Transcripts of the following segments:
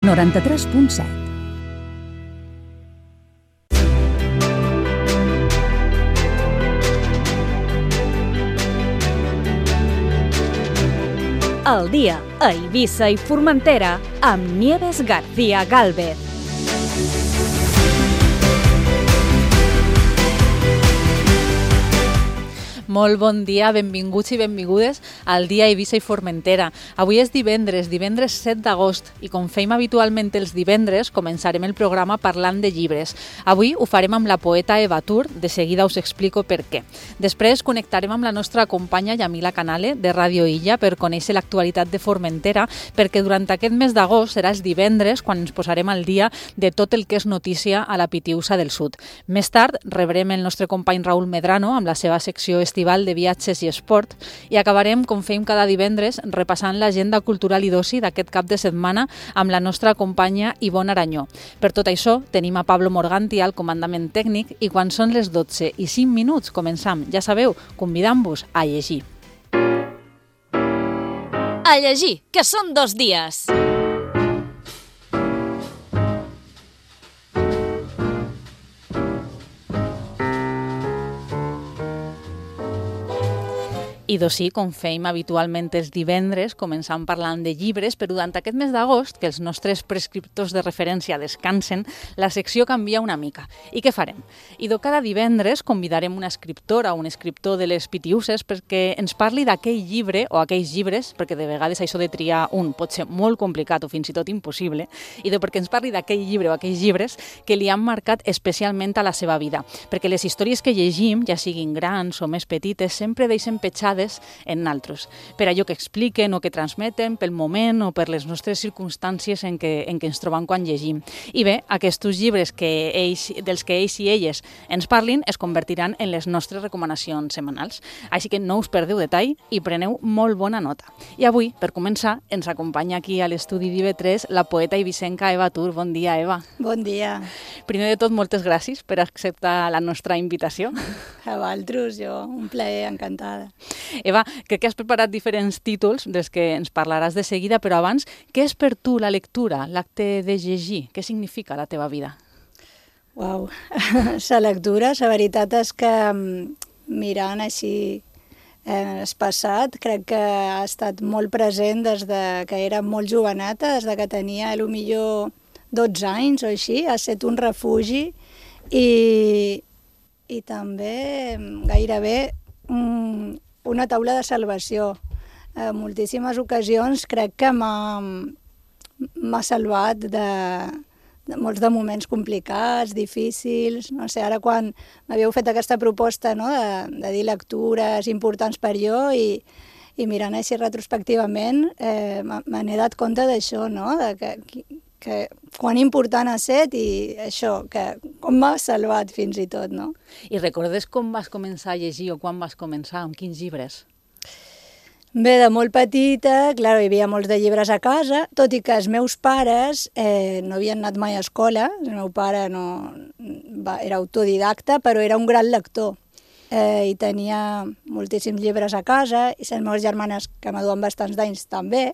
93.7. El dia a Eivissa i Formentera amb Nieves García Gálvez. Molt bon dia, benvinguts i benvingudes al dia a Eivissa i Formentera. Avui és divendres 7 d'agost, i com fem habitualment els divendres, començarem el programa parlant de llibres. Avui ho farem amb la poeta Eva Tur, de seguida us explico per què. Després connectarem amb la nostra companya Yamila Canale, de Ràdio Illa, per conèixer l'actualitat de Formentera, perquè durant aquest mes d'agost serà els divendres quan ens posarem al dia de tot el que és notícia a la Pitiusa del Sud. Més tard rebrem el nostre company Raül Medrano amb la seva secció estival de viatges i esport, i acabarem, com fem cada divendres, repassant l'agenda cultural i d'oci d'aquest cap de setmana amb la nostra companya Ivonne Aranyó. Per tot això, tenim a Pablo Morganti al comandament tècnic, i quan són les 12:05 començam, ja sabeu, convidant-vos a llegir. A llegir, que són 2 dies. I sí, com fem habitualment els divendres, començam parlant de llibres, però durant aquest mes d'agost, que els nostres prescriptors de referència descansen, la secció canvia una mica. I què farem? Cada divendres convidarem una escriptora o un escriptor de les Pitiuses perquè ens parli d'aquell llibre o aquells llibres, perquè de vegades això de triar un pot ser molt complicat o fins i tot impossible, i perquè ens parli d'aquell llibre o aquells llibres que li han marcat especialment a la seva vida. Perquè les històries que llegim, ja siguin grans o més petites, sempre deixen petjades en naltros, per allò que expliquen o que transmeten, pel moment o per les nostres circumstàncies en què ens trobam quan llegim. I bé, aquests llibres dels que ells i elles ens parlin es convertiran en les nostres recomanacions setmanals. Així que no us perdeu detall i preneu molt bona nota. I avui, per començar, ens acompanya aquí a l'estudi d'IV3 la poeta eivissenca Eva Tur. Bon dia, Eva. Bon dia. Primer de tot, moltes gràcies per acceptar la nostra invitació. A vosaltres, jo, un plaer, encantada. Eva, crec que has preparat diferents títols dels que ens parlaràs de seguida, però abans, què és per tu la lectura, l'acte de llegir? Què significa a la teva vida? Uau, la lectura, la veritat és que mirant així el passat, crec que ha estat molt present des que era molt joveneta, des que tenia potser 12 anys o així, ha estat un refugi i també gairebé una taula de salvació. En moltíssimes ocasions crec que m'ha salvat de molts de moments complicats, difícils. No sé, ara quan m'havíeu fet aquesta proposta, no, de dir lectures importants per jo i mirant així retrospectivament me n'he dat compte d'això, no? Que quan important ha estat i això, que com m'ha salvat fins i tot, no? I recordes com vas començar a llegir o quan vas començar, amb quins llibres? Bé, de molt petita, clar, hi havia molts de llibres a casa, tot i que els meus pares no havien anat mai a escola. El meu pare era autodidacta, però era un gran lector i tenia moltíssims llibres a casa, i les meves germanes, que m'aduen bastants d'anys, també,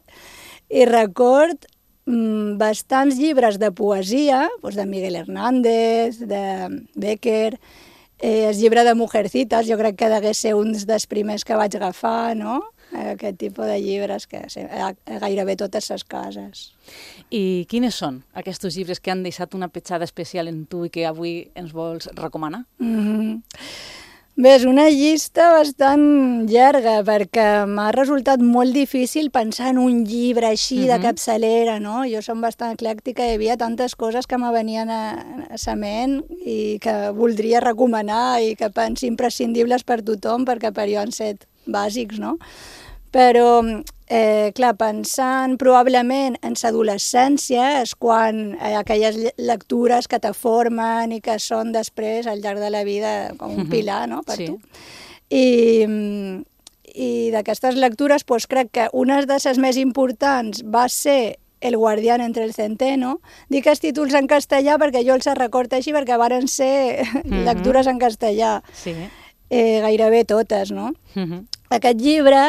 i record bastants llibres de poesia, doncs de Miguel Hernández, de Bécquer, el llibre de Mujercitas, jo crec que degué ser un dels primers que vaig agafar, no? Aquest tipus de llibres que gairebé totes les cases. I quines són aquests llibres que han deixat una petjada especial en tu i que avui ens vols recomanar? Bé, és una llista bastant llarga perquè m'ha resultat molt difícil pensar en un llibre així de capçalera, no? Jo som bastant eclèctica i hi havia tantes coses que me venien a la ment i que voldria recomanar i que penso imprescindibles per tothom perquè per jo han set bàsics, no? Però, clar, pensant probablement en l'adolescència és quan aquelles lectures que te formen i que són després, al llarg de la vida, com un pilar, no?, per tu. I d'aquestes lectures, doncs, crec que una de les més importants va ser El guardián entre el centeno. Dic els títols en castellà perquè jo els recordo així, perquè varen ser lectures en castellà. Sí. Gairebé totes, no? aquest llibre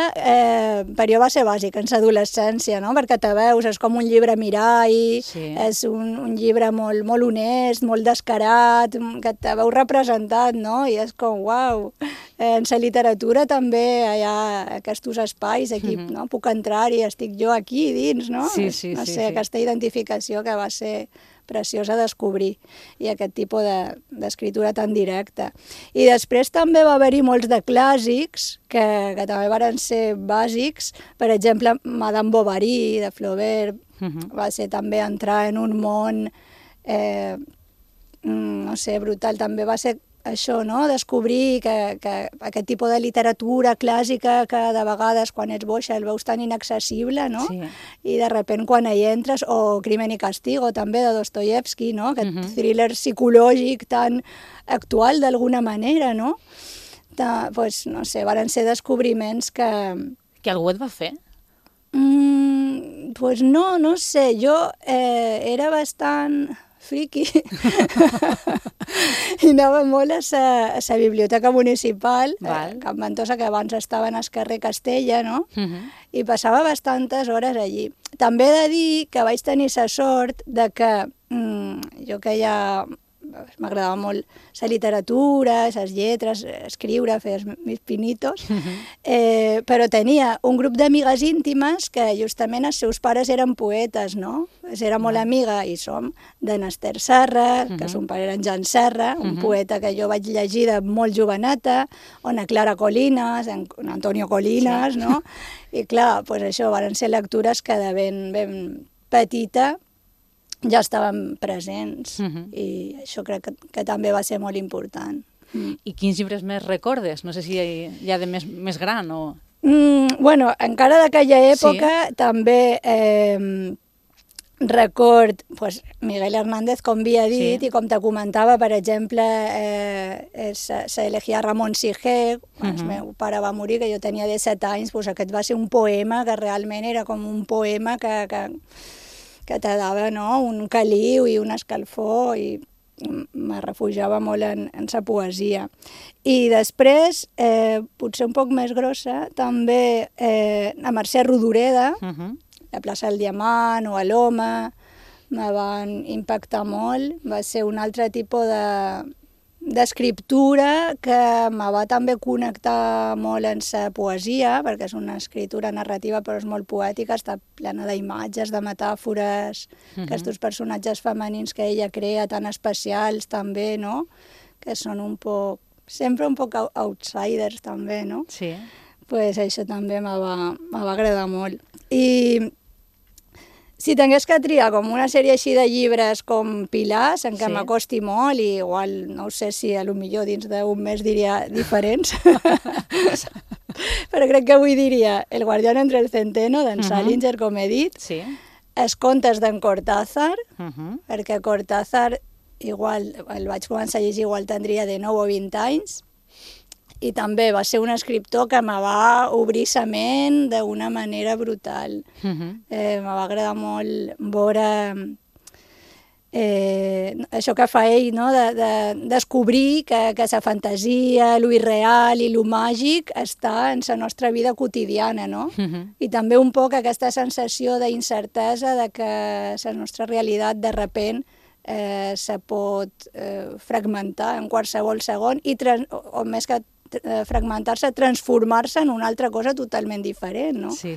per jo va ser bàsic en l'adolescència, no? Perquè te veus, és com un llibre mirall, és un llibre molt, molt honest, molt descarat, que te veus representat, no? I és com, uau, en la literatura també hi ha aquests espais, aquí no? Puc entrar-hi, estic jo aquí dins, no? No sé, aquesta identificació que va ser preciosa a descobrir, i aquest tipus d'escriptura tan directa. I després també va haver-hi molts de clàssics que també van ser bàsics, per exemple, Madame Bovary, de Flaubert, va ser també entrar en un món, no sé, brutal, també va ser això, no? Descobrir que aquest tipus de literatura clàssica que de vegades quan ets boixa el veus tan inaccessible, no? I de sobte quan hi entres, o Crimen i Castigo també de Dostoyevsky, no? Aquest thriller psicològic tan actual d'alguna manera, no? Pues, no sé, van ser descobriments que... Que algú et va fer? Pues no sé, jo era bastant friqui i anava molt a la biblioteca municipal, Can Ventosa, que abans estava en el carrer Castella, no? I passava bastantes hores allí. També he de dir que vaig tenir la sort de que jo que ja m'agradava molt la literatura, les lletres, escriure, fer els meus pinitos, però tenia un grup d'amigues íntimes que justament els seus pares eren poetes, no? Era molt amiga, i som, de Nester Serra, que son pare era en Jan Serra, un poeta que jo vaig llegir de molt joveneta, o na Clara Colinas, en Antonio Colinas, no? I clar, doncs això, van ser lectures que de ben petita ja estaven presents, i això crec que també va ser molt important. I quins llibres més recordes? No sé si hi ha de més gran o... Bueno, encara d'aquella època també record Miguel Hernández, com havia dit, i com te comentava, per exemple, s'elegia Ramon Siger, quan el meu pare va morir, que jo tenia 17 anys, aquest va ser un poema que realment era com un poema que te dava un caliu i una escalfor, i me refugiava molt en la poesia. I després, potser un poc més grossa, també a Mercè Rodoreda, la plaça del Diamant o a l'Home, me van impactar molt. Va ser un altre tipus d'escriptura que me va també connectar molt en la poesia, perquè és una escritura narrativa però és molt poètica, està plena d'imatges, de metàfores, aquests personatges femenins que ella crea, tan especials també, no? Que són sempre un poc outsiders també, no? Sí. Pues això també me va agradar molt. I si tingués que triar com una sèrie així de llibres com pilars, en què m'acosti molt, i igual no sé si potser dins d'un mes diria diferents, però crec que avui diria El guardián entre el centeno, d'en Salinger, com he dit, els contes d'en Cortázar, perquè Cortázar igual el vaig començar a llegir, igual tindria de 9 o 20 anys, i també va ser un escriptor que me va obrir la ment d'una manera brutal. Me va agradar molt veure això que fa ell, no? De descobrir que la fantasia, lo irreal i lo màgic està en la nostra vida quotidiana, no? I també un poc aquesta sensació d'incertesa de que la nostra realitat de repent se pot fragmentar en qualsevol segon, o més que fragmentar-se, transformar-se en una altra cosa totalment diferent, no? Sí.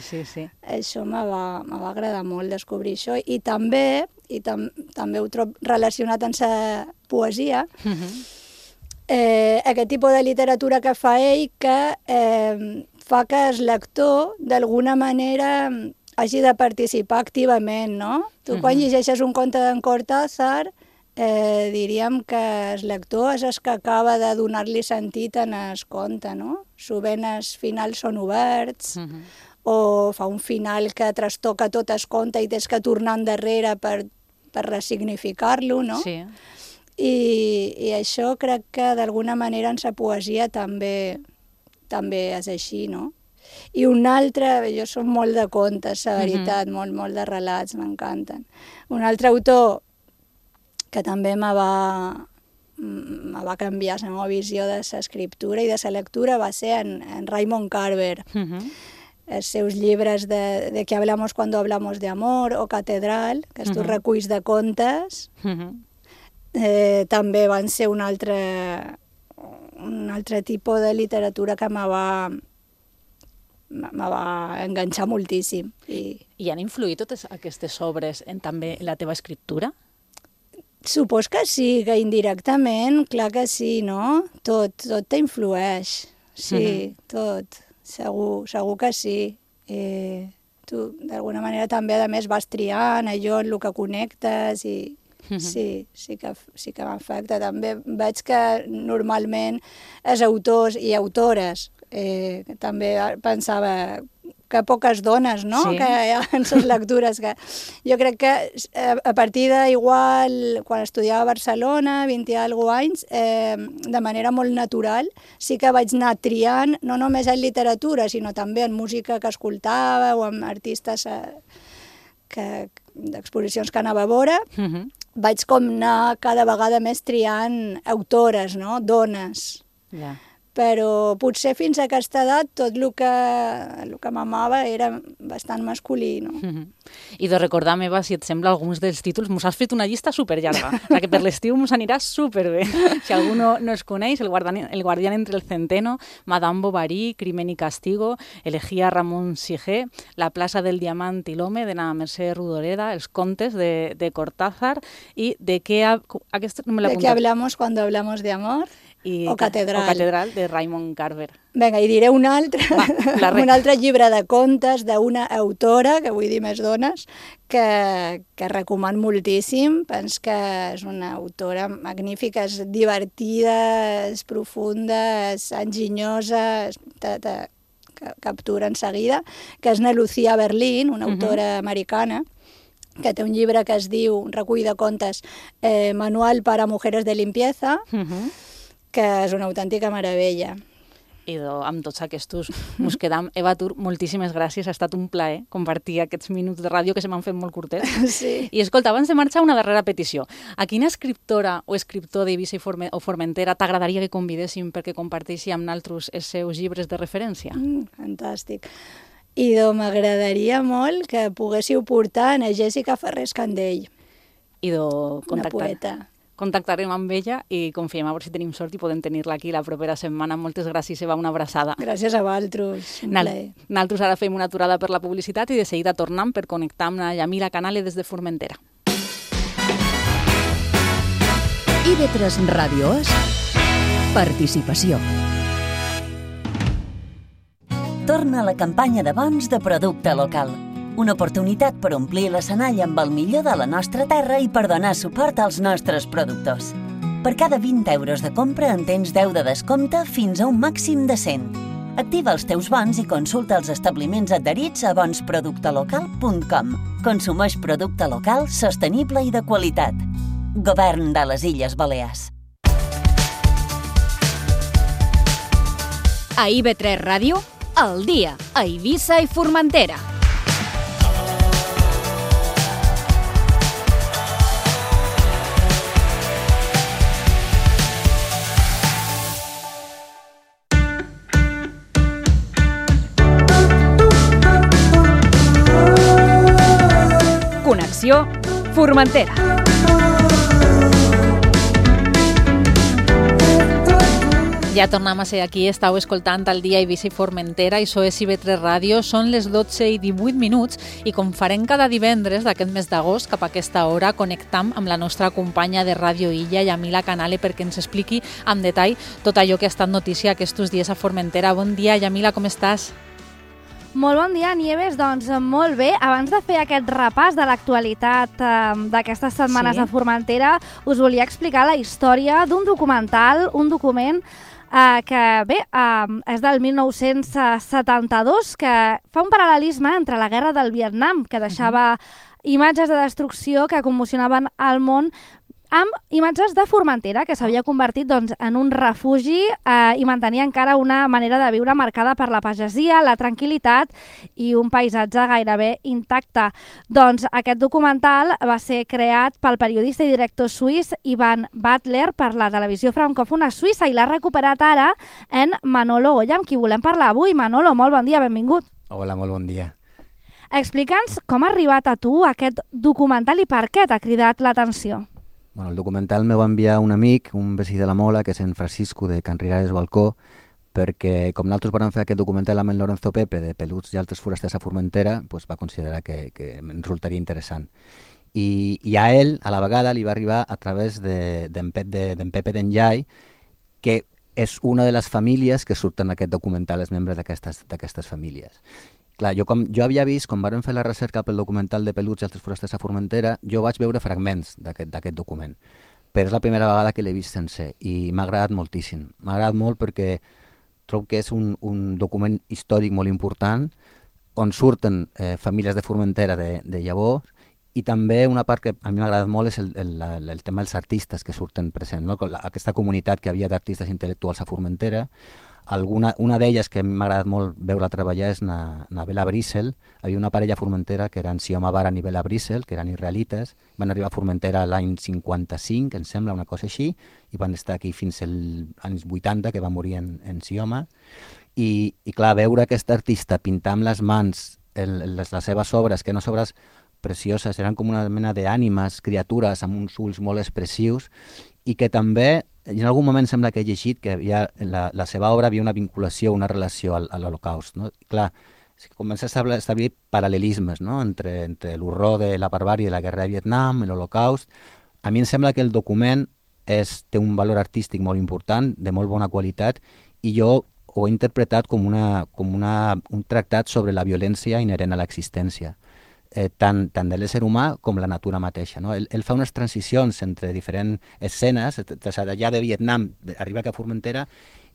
Això me va agradar molt descobrir això, i també ho trobo relacionat amb la poesia, aquest tipus de literatura que fa ell, que fa que el lector d'alguna manera hagi de participar activament, no? Tu quan llegeixes un conte d'en Cortázar, diríem que el lector és el que acaba de donar-li sentit en el conte, no? Sovint els finals són oberts, o fa un final que trastoca tot el conte i tens que tornar endarrere per ressignificar-lo, no? Sí. I això crec que d'alguna manera en la poesia també és així, no? I un altre, jo soc molt de contes, la veritat, molt de relats, m'encanten. Un altre autor que també me me va canviar la meva visió de l'escriptura i de la lectura va ser en Raymond Carver. Els seus llibres de ¿Qué hablamos cuando hablamos de amor? O Catedral, que estos reculls de contes, també van ser un altre tipus de literatura que me va enganxar moltíssim. I han influït totes aquestes obres en també la teva escriptura? Supos que sí, que indirectament, clar que sí, no? Tot t'influeix, sí, tot, segur que sí. Tu, d'alguna manera, també, a més, vas triant allò en el que connectes i sí que m'afecta. També veig que normalment els autors i autores, també pensava que poques dones, no?, que hi ha en les lectures. Que jo crec que a partir d'igual, quan estudiava a Barcelona, 20 i alguna anys, de manera molt natural, sí que vaig anar triant, no només en literatura, sinó també en música que escoltava o en artistes d'exposicions que anava a veure, vaig com anar cada vegada més triant autores, no?, dones. Però potser fins a aquesta edat tot el que m'amava era bastant masculí, no? I de recordar, Eva, si et sembla, alguns dels títols, mos has fet una llista superllarga, que per l'estiu mos anirà superbé. Si algú no es coneix, El guardián entre el centeno, Madame Bovary, Crimen y castigo, Elegía Ramón Sige, La plaça del diamant i l'home, de la Mercè Rodoreda, Els contes de Cortázar, i de qué hablamos cuando hablamos de amor? O Catedral, de Raymond Carver. Vinga, i diré un altre llibre de contes d'una autora, que vull dir més dones, que recomano moltíssim. Penso que és una autora magnífica, és divertida, és profunda, és enginyosa, te captura en seguida, que és na Lucía Berlín, una autora americana, que té un llibre que es diu, un recull de contes, Manual para mujeres de limpieza, que és una autèntica meravella. I amb tots aquests mos quedam. Eva Tur, moltíssimes gràcies, ha estat un plaer compartir aquests minuts de ràdio que se m'han fet molt curtets. Sí. I escolta, abans de marxar, una darrera petició. A quina escriptora o escriptor d'Eivissa o Formentera t'agradaria que convidéssim perquè comparteixi amb naltros els seus llibres de referència? Fantàstic. I m'agradaria molt que poguéssiu portar a Jessica Ferrés Candell, una poeta. Contactarem amb ella i confiem a veure si tenim sort i podem tenir-la aquí la propera setmana. Moltes gràcies, Eva, una abraçada. Gràcies a vosaltres, un plaer. Nosaltres ara fem una aturada per la publicitat i de seguida tornem per connectar amb la Yamila Canale des de Formentera. IB3 Ràdio és participació. Torna la campanya de bons de producte local. Una oportunitat per omplir l'escenari amb el millor de la nostra terra i per donar suport als nostres productors. Per cada 20 euros de compra en tens 10 de descompte fins a un màxim de 100. Activa els teus bons i consulta els establiments adherits a bonsproductelocal.com. Consumeix producte local, sostenible i de qualitat. Govern de les Illes Balears. A IB3 Ràdio, al dia, a Eivissa i Formentera. Connexió Formentera. Ja tornem a ser aquí, estàu escoltant el dia Eivissa i Formentera, i això és IB3 Ràdio, són les 12 i 18 minuts i com farem cada divendres d'aquest mes d'agost, cap a aquesta hora connectam amb la nostra companya de Ràdio Illa, Yamila Canale, perquè ens expliqui amb detall tot allò que ha estat notícia aquests dies a Formentera. Bon dia, Yamila, com estàs? Molt bon dia, Nieves. Doncs molt bé. Abans de fer aquest repàs de l'actualitat d'aquestes setmanes a Formentera, us volia explicar la història d'un documental, un document que bé, és del 1972, que fa un paral·lelisme entre la guerra del Vietnam, que deixava imatges de destrucció que commocionaven el món amb imatges de Formentera, que s'havia convertit doncs, en un refugi i mantenia encara una manera de viure marcada per la pagesia, la tranquil·litat i un paisatge gairebé intacte. Doncs aquest documental va ser creat pel periodista i director suís Ivan Butler per la televisió francòfona suïssa i l'ha recuperat ara en Manolo Goya, amb qui volem parlar avui. Manolo, molt bon dia, benvingut. Hola, molt bon dia. Explica'ns com ha arribat a tu aquest documental i per què t'ha cridat l'atenció. Bueno, el documental me va enviar un amic, un vecí de la Mola, que és en Francisco, de Can Riares Balcó, perquè com nosaltres vam fer aquest documental amb en Lorenzo Pepe de Peluts i altres forasters a Formentera, va considerar que em resultaria interessant. I a ell, a la vegada, li va arribar a través d'en Pepe d'Enllai, que és una de les famílies que surten en aquest documental, els membres d'aquestes famílies. Clar, jo havia vist, quan vam fer la recerca pel documental de Peluts i altres forasters a Formentera, jo vaig veure fragments d'aquest document, però és la primera vegada que l'he vist sencer i m'ha agradat moltíssim. M'ha agradat molt perquè trobo que és un document històric molt important on surten famílies de Formentera de llavors i també una part que a mi m'ha agradat molt és el tema dels artistes que surten presents, no? Aquesta comunitat que havia d'artistes intel·lectuals a Formentera. Una d'elles que m'ha agradat molt veure treballar és na Bela Brissel. Hi havia una parella a Formentera que eren Sioma Baran i Bela Brissel, que eren israelites. Van arribar a Formentera l'any 55, em sembla, una cosa així, i van estar aquí fins als anys 80, que va morir en Sioma. I clar, veure aquest artista pintar amb les mans les seves obres, que eren obres precioses, eren com una mena d'ànimes, criatures amb uns ulls molt expressius, i que també en algun moment sembla que he llegit que la seva obra havia una vinculació, una relació a l'Holocaust. No? Clar, comença a establir paral·lelismes, no? entre l'horror de la barbàrie de la guerra de Vietnam, l'Holocaust. A mi em sembla que el document té un valor artístic molt important, de molt bona qualitat, i jo ho he interpretat com un tractat sobre la violència inherent a l'existència. Tant de l'ésser humà com la natura mateixa. No? Ell fa unes transicions entre diferents escenes, d'allà de Vietnam, arriba a Formentera,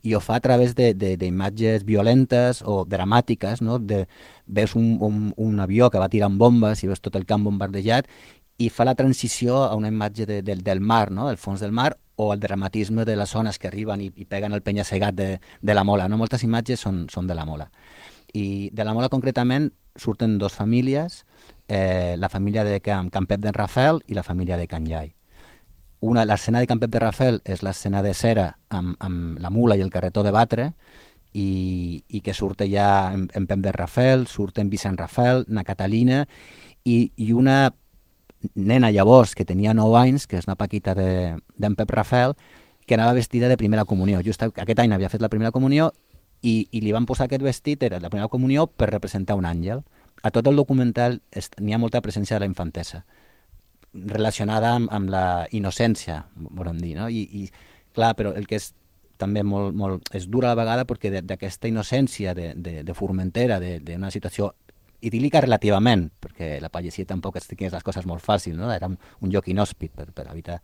i ho fa a través d'imatges violentes o dramàtiques. No? Veus un avió que va tirant bombes i veus tot el camp bombardejat, i fa la transició a una imatge del mar, no? Del fons del mar, o el dramatisme de les ones que arriben i peguen el penya-segat de la Mola. No? Moltes imatges són de la Mola. I de la Mola concretament surten dos famílies, la família de Can Pep d'en Rafel i la família de Can Llai. L'escena de Can Pep de Rafel és l'escena de cera amb la mula i el carretó de batre, i que surt ja en Pep de Rafel, surt en Vicent Rafel, na Catalina, i una nena llavors que tenia 9 anys, que és una paquita d'en Pep Rafel, que anava vestida de primera comunió. Just aquest any havia fet la primera comunió i li van posar aquest vestit, era la primera comunió, per representar un àngel. A tot el documental n'hi ha molta presència de la infantesa, relacionada amb la innocència, volem dir, no? I clar, però el que és també molt és dura a la vegada, perquè d'aquesta innocència de Formentera, d'una situació idíl·lica relativament, perquè la pagesia tampoc tingués les coses molt fàcils, no? Era un lloc inhòspit per habitar.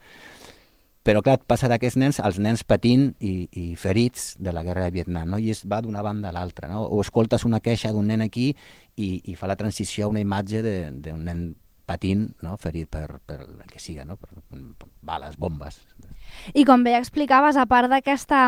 Però clar, passa d'aquests nens als nens patint i ferits de la guerra de Vietnam, no? I es va d'una banda a l'altra, no? O escoltes una queixa d'un nen aquí i fa la transició a una imatge d'un nen patint, no? Ferit per el que siga, no? Per bales, bombes. I com bé explicaves, a part d'aquesta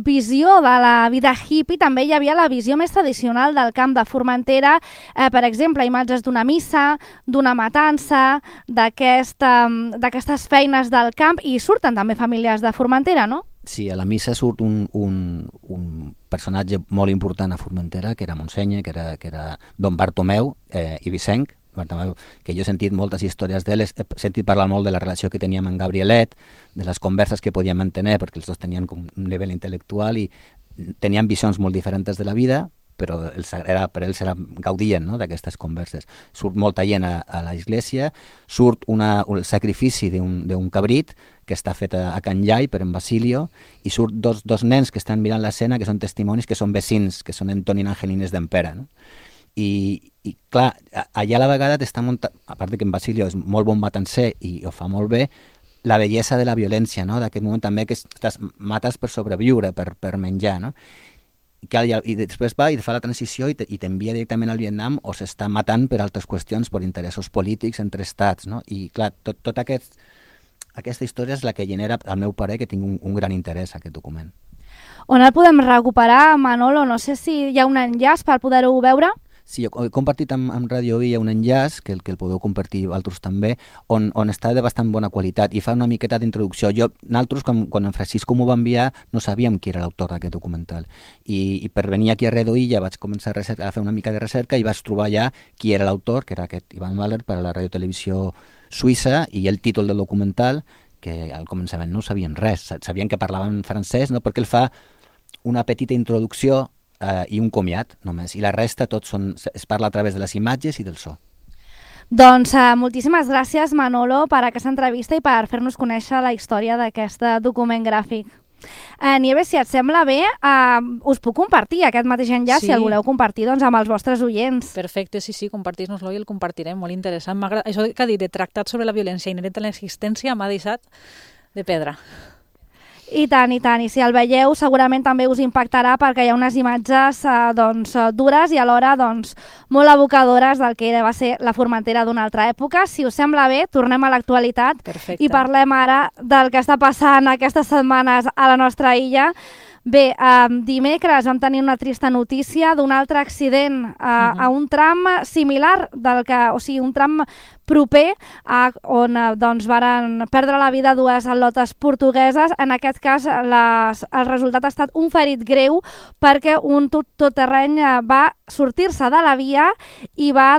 visió de la vida hippie, també hi havia la visió més tradicional del camp de Formentera, per exemple, imatges d'una missa, d'una matança, d'aquestes feines del camp, i surten també famílies de Formentera, no? Sí, a la missa surt un personatge molt important a Formentera, que era Montseny, que era Don Bartomeu i Vicenç, que jo he sentit moltes històries d'ell, he sentit parlar molt de la relació que teníem amb Gabrielet, de les converses que podíem mantenir, perquè els dos tenien un nivell intel·lectual i tenien visions molt diferents de la vida, però per ells gaudien, no?, d'aquestes converses. Surt molta gent a l'església, surt el sacrifici d'un cabrit que està fet a Can Llai per en Basilio, i surt dos nens que estan mirant l'escena, que són testimonis, que són vecins, que són Antonin Angelines d'Empera, no? I clar, allà a la vegada t'està muntant, a part que en Basilio és molt bon matancer i ho fa molt bé, la bellesa de la violència, no? D'aquest moment també que mates per sobreviure, per menjar, no? I després va i fa la transició i t'envia directament al Vietnam, o s'està matant per altres qüestions, per interessos polítics entre estats, no? I clar, tot aquest aquesta història és la que genera, al meu parer, que tinc un gran interès aquest document. On el podem recuperar, Manolo? No sé si hi ha un enllaç per poder-ho veure. Sí, jo he compartit amb Radio Villa un enllaç, que el podeu compartir altres també, on està de bastant bona qualitat i fa una miqueta d'introducció. Nosaltres, quan en Francisco m'ho va enviar, no sabíem qui era l'autor d'aquest documental. I per venir aquí a Radio Villa vaig començar a fer una mica de recerca i vaig trobar ja qui era l'autor, que era aquest Ivan Mahler, per a la radiotelevisió suïssa, i el títol del documental, que al començament no sabien res. Sabien que parlaven francès, no? Perquè ell fa una petita introducció i un comiat, només. I la resta tot es parla a través de les imatges i del so. Doncs moltíssimes gràcies, Manolo, per aquesta entrevista i per fer-nos conèixer la història d'aquest document gràfic. Nieves, si et sembla bé, us puc compartir aquest mateix enllaç, si el voleu compartir amb els vostres oients. Perfecte, sí, compartir-nos-lo i el compartirem, molt interessant. Això que ha dit de tractat sobre la violència inherent a l'existència m'ha deixat de pedra. I tant, i si el veieu segurament també us impactarà perquè hi ha unes imatges dures i alhora molt evocadores del que va ser la Formentera d'una altra època. Si us sembla bé, tornem a l'actualitat i parlem ara del que està passant aquestes setmanes a la nostra illa. Bé, dimecres vam tenir una trista notícia d'un altre accident a un tram similar, un tram proper on varen perdre la vida dues atletes portugueses. En aquest cas, el resultat ha estat un ferit greu perquè un totterreny va sortir-se de la via i va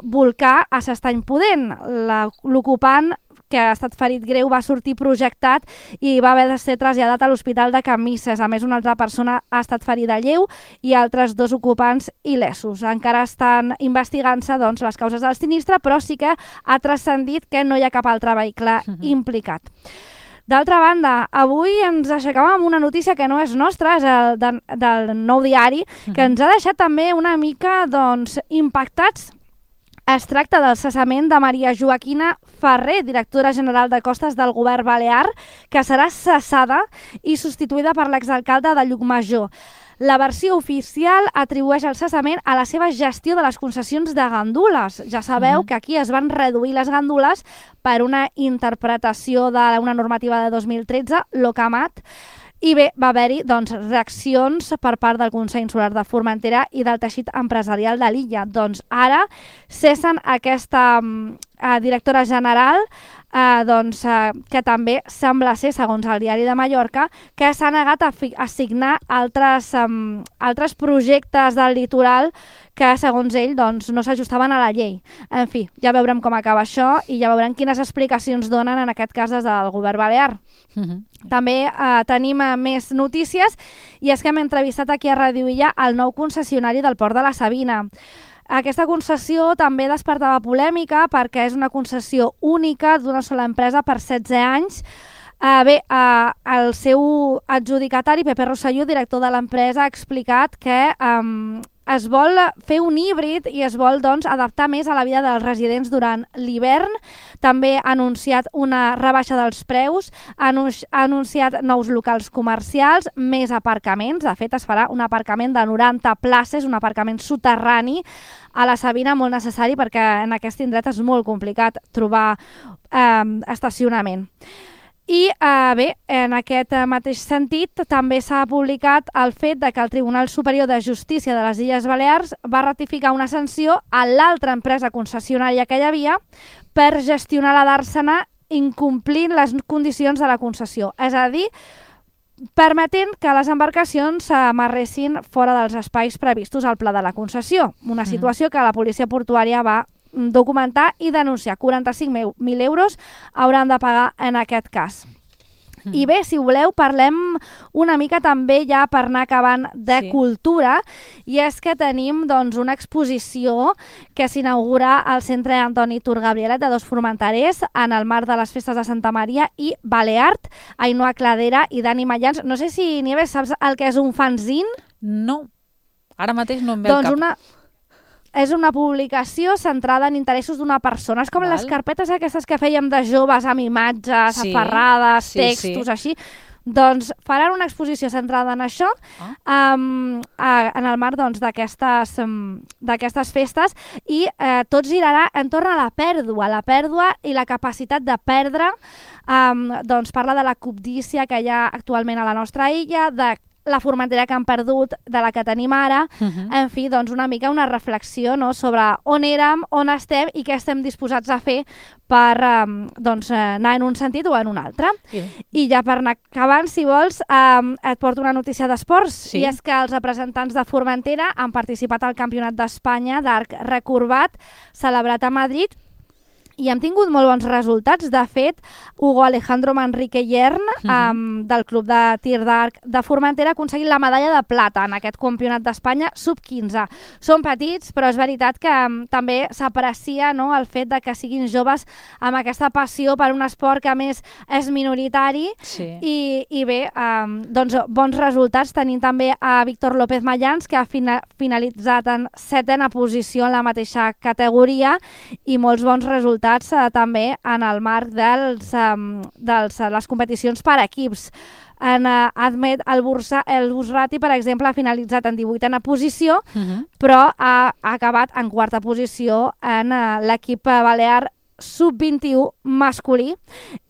volcar a s'Estany Pudent. L'ocupant, que ha estat ferit greu, va sortir projectat i va haver de ser traslladat a l'Hospital de Camisses. A més, una altra persona ha estat ferida lleu i altres 2 ocupants il·lesos. Encara estan investigant-se les causes del sinistre, però sí que ha transcendit que no hi ha cap altre vehicle implicat. D'altra banda, avui ens aixecàvem amb una notícia que no és nostra, és del Nou Diari, que ens ha deixat també una mica impactats. Es tracta del cessament de Maria Joaquina Ferrer, directora general de Costes del Govern Balear, que serà cessada i substituïda per l'exalcalde de Llucmajor. La versió oficial atribueix el cessament a la seva gestió de les concessions de gandules. Ja sabeu que aquí es van reduir les gandules per una interpretació d'una normativa de 2013, l'OCAMAT, i bé, va haver-hi reaccions per part del Consell Insular de Formentera i del teixit empresarial de l'illa. Ara cessen aquesta directora general, que també sembla ser, segons el Diari de Mallorca, que s'ha negat a signar altres projectes del litoral que, segons ell, no s'ajustaven a la llei. En fi, ja veurem com acaba això i ja veurem quines explicacions donen, en aquest cas, des del govern balear. També tenim més notícies, i és que hem entrevistat aquí a Radio Illa el nou concessionari del Port de la Sabina. Aquesta concessió també despertava polèmica perquè és una concessió única d'una sola empresa per 16 anys. El seu adjudicatari, Pepe Rosselló, director de l'empresa, ha explicat que es vol fer un híbrid i es vol adaptar més a la vida dels residents durant l'hivern. També ha anunciat una rebaixa dels preus, ha anunciat nous locals comercials, més aparcaments. De fet, es farà un aparcament de 90 places, un aparcament soterrani a la Sabina, molt necessari perquè en aquest indret és molt complicat trobar estacionament. I bé, en aquest mateix sentit també s'ha publicat el fet de que el Tribunal Superior de Justícia de les Illes Balears va ratificar una sanció a l'altra empresa concessionària que hi havia per gestionar la Dàrsena incomplint les condicions de la concessió. És a dir, permetent que les embarcacions s'amarressin fora dels espais previstos al pla de la concessió. Una situació que la policia portuària va documentar i denunciar. 45.000 euros hauran de pagar en aquest cas. I bé, si voleu, parlem una mica també, ja per anar acabant, de cultura, i és que tenim una exposició que s'inaugura al Centre Antoni Turgabrielet de Dos Formenterers en el marc de les festes de Santa Maria i Baleart. Ainhoa Cladera i Dani Mallans. No sé si, Nieves, saps el que és un fanzine? No, ara mateix no em ve al cap. És una publicació centrada en interessos d'una persona. És com les carpetes aquestes que fèiem de joves amb imatges, aferrades, textos, així. Doncs faran una exposició centrada en això, en el marc d'aquestes festes, i tot girarà entorn a la pèrdua i la capacitat de perdre. Doncs parla de la cobdícia que hi ha actualment a la nostra illa, de la Formentera que han perdut, de la que tenim ara, en fi, doncs una mica una reflexió, no?, sobre on érem, on estem i què estem disposats a fer per anar en un sentit o en un altre. I ja per anar acabant, si vols, et porto una notícia d'esports, i és que els representants de Formentera han participat al Campionat d'Espanya d'arc recorbat celebrat a Madrid, i hem tingut molt bons resultats. De fet, Hugo Alejandro Manrique Yern, del Club de Tir d'Arc de Formentera, ha aconseguit la medalla de plata en aquest Campionat d'Espanya sub-15. Són petits, però és veritat que també s'aprecia, no?, el fet de que siguin joves amb aquesta passió per un esport que a més és minoritari. I bé, doncs bons resultats. Tenim també a Víctor López Mayans, que ha finalitzat en 7ª posició en la mateixa categoria, i molts bons resultats també en el marc de les competicions per equips. En Ahmed El Busrati, per exemple, ha finalitzat en 18ª posició, però ha acabat en 4ª posició en l'equip balear sub-21 masculí.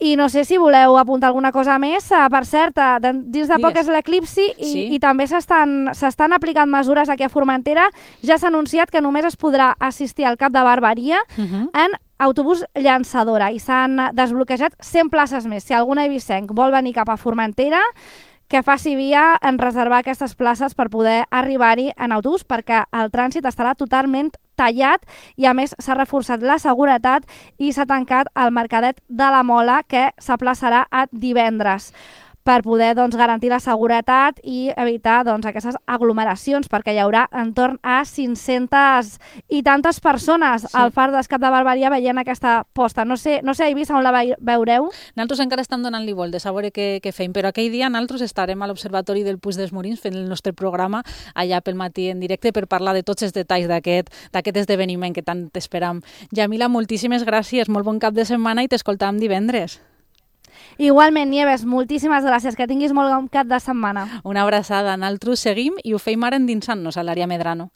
I no sé si voleu apuntar alguna cosa més. Per cert, dins de poc és l'eclipsi i també s'estan aplicant mesures aquí a Formentera. Ja s'ha anunciat que només es podrà assistir al Cap de Barberia en autobús llançadora i s'han desbloquejat 100 places més. Si algun eivissenc vol venir cap a Formentera, que faci via en reservar aquestes places per poder arribar-hi en autobús, perquè el trànsit estarà totalment tallat i, a més, s'ha reforçat la seguretat i s'ha tancat el Mercadet de la Mola, que s'aplaçarà a divendres, per poder garantir la seguretat i evitar aquestes aglomeracions, perquè hi haurà entorn a 500 i tantes persones al Far d'Escap de Barberia veient aquesta posta. No sé a Eivissa on la veureu. Nosaltres encara estem donant-li voltes a veure què fem, però aquell dia nosaltres estarem a l'Observatori del Puig dels Molins fent el nostre programa allà pel matí en directe per parlar de tots els detalls d'aquest esdeveniment que tant esperam. Yamila, moltíssimes gràcies, molt bon cap de setmana i t'escoltàvem divendres. Igualment, Nieves, moltíssimes gràcies. Que tinguis molt bon cap de setmana. Una abraçada. Nosaltres seguim i ho feim ara endinsant-nos a l'àrea Medrano.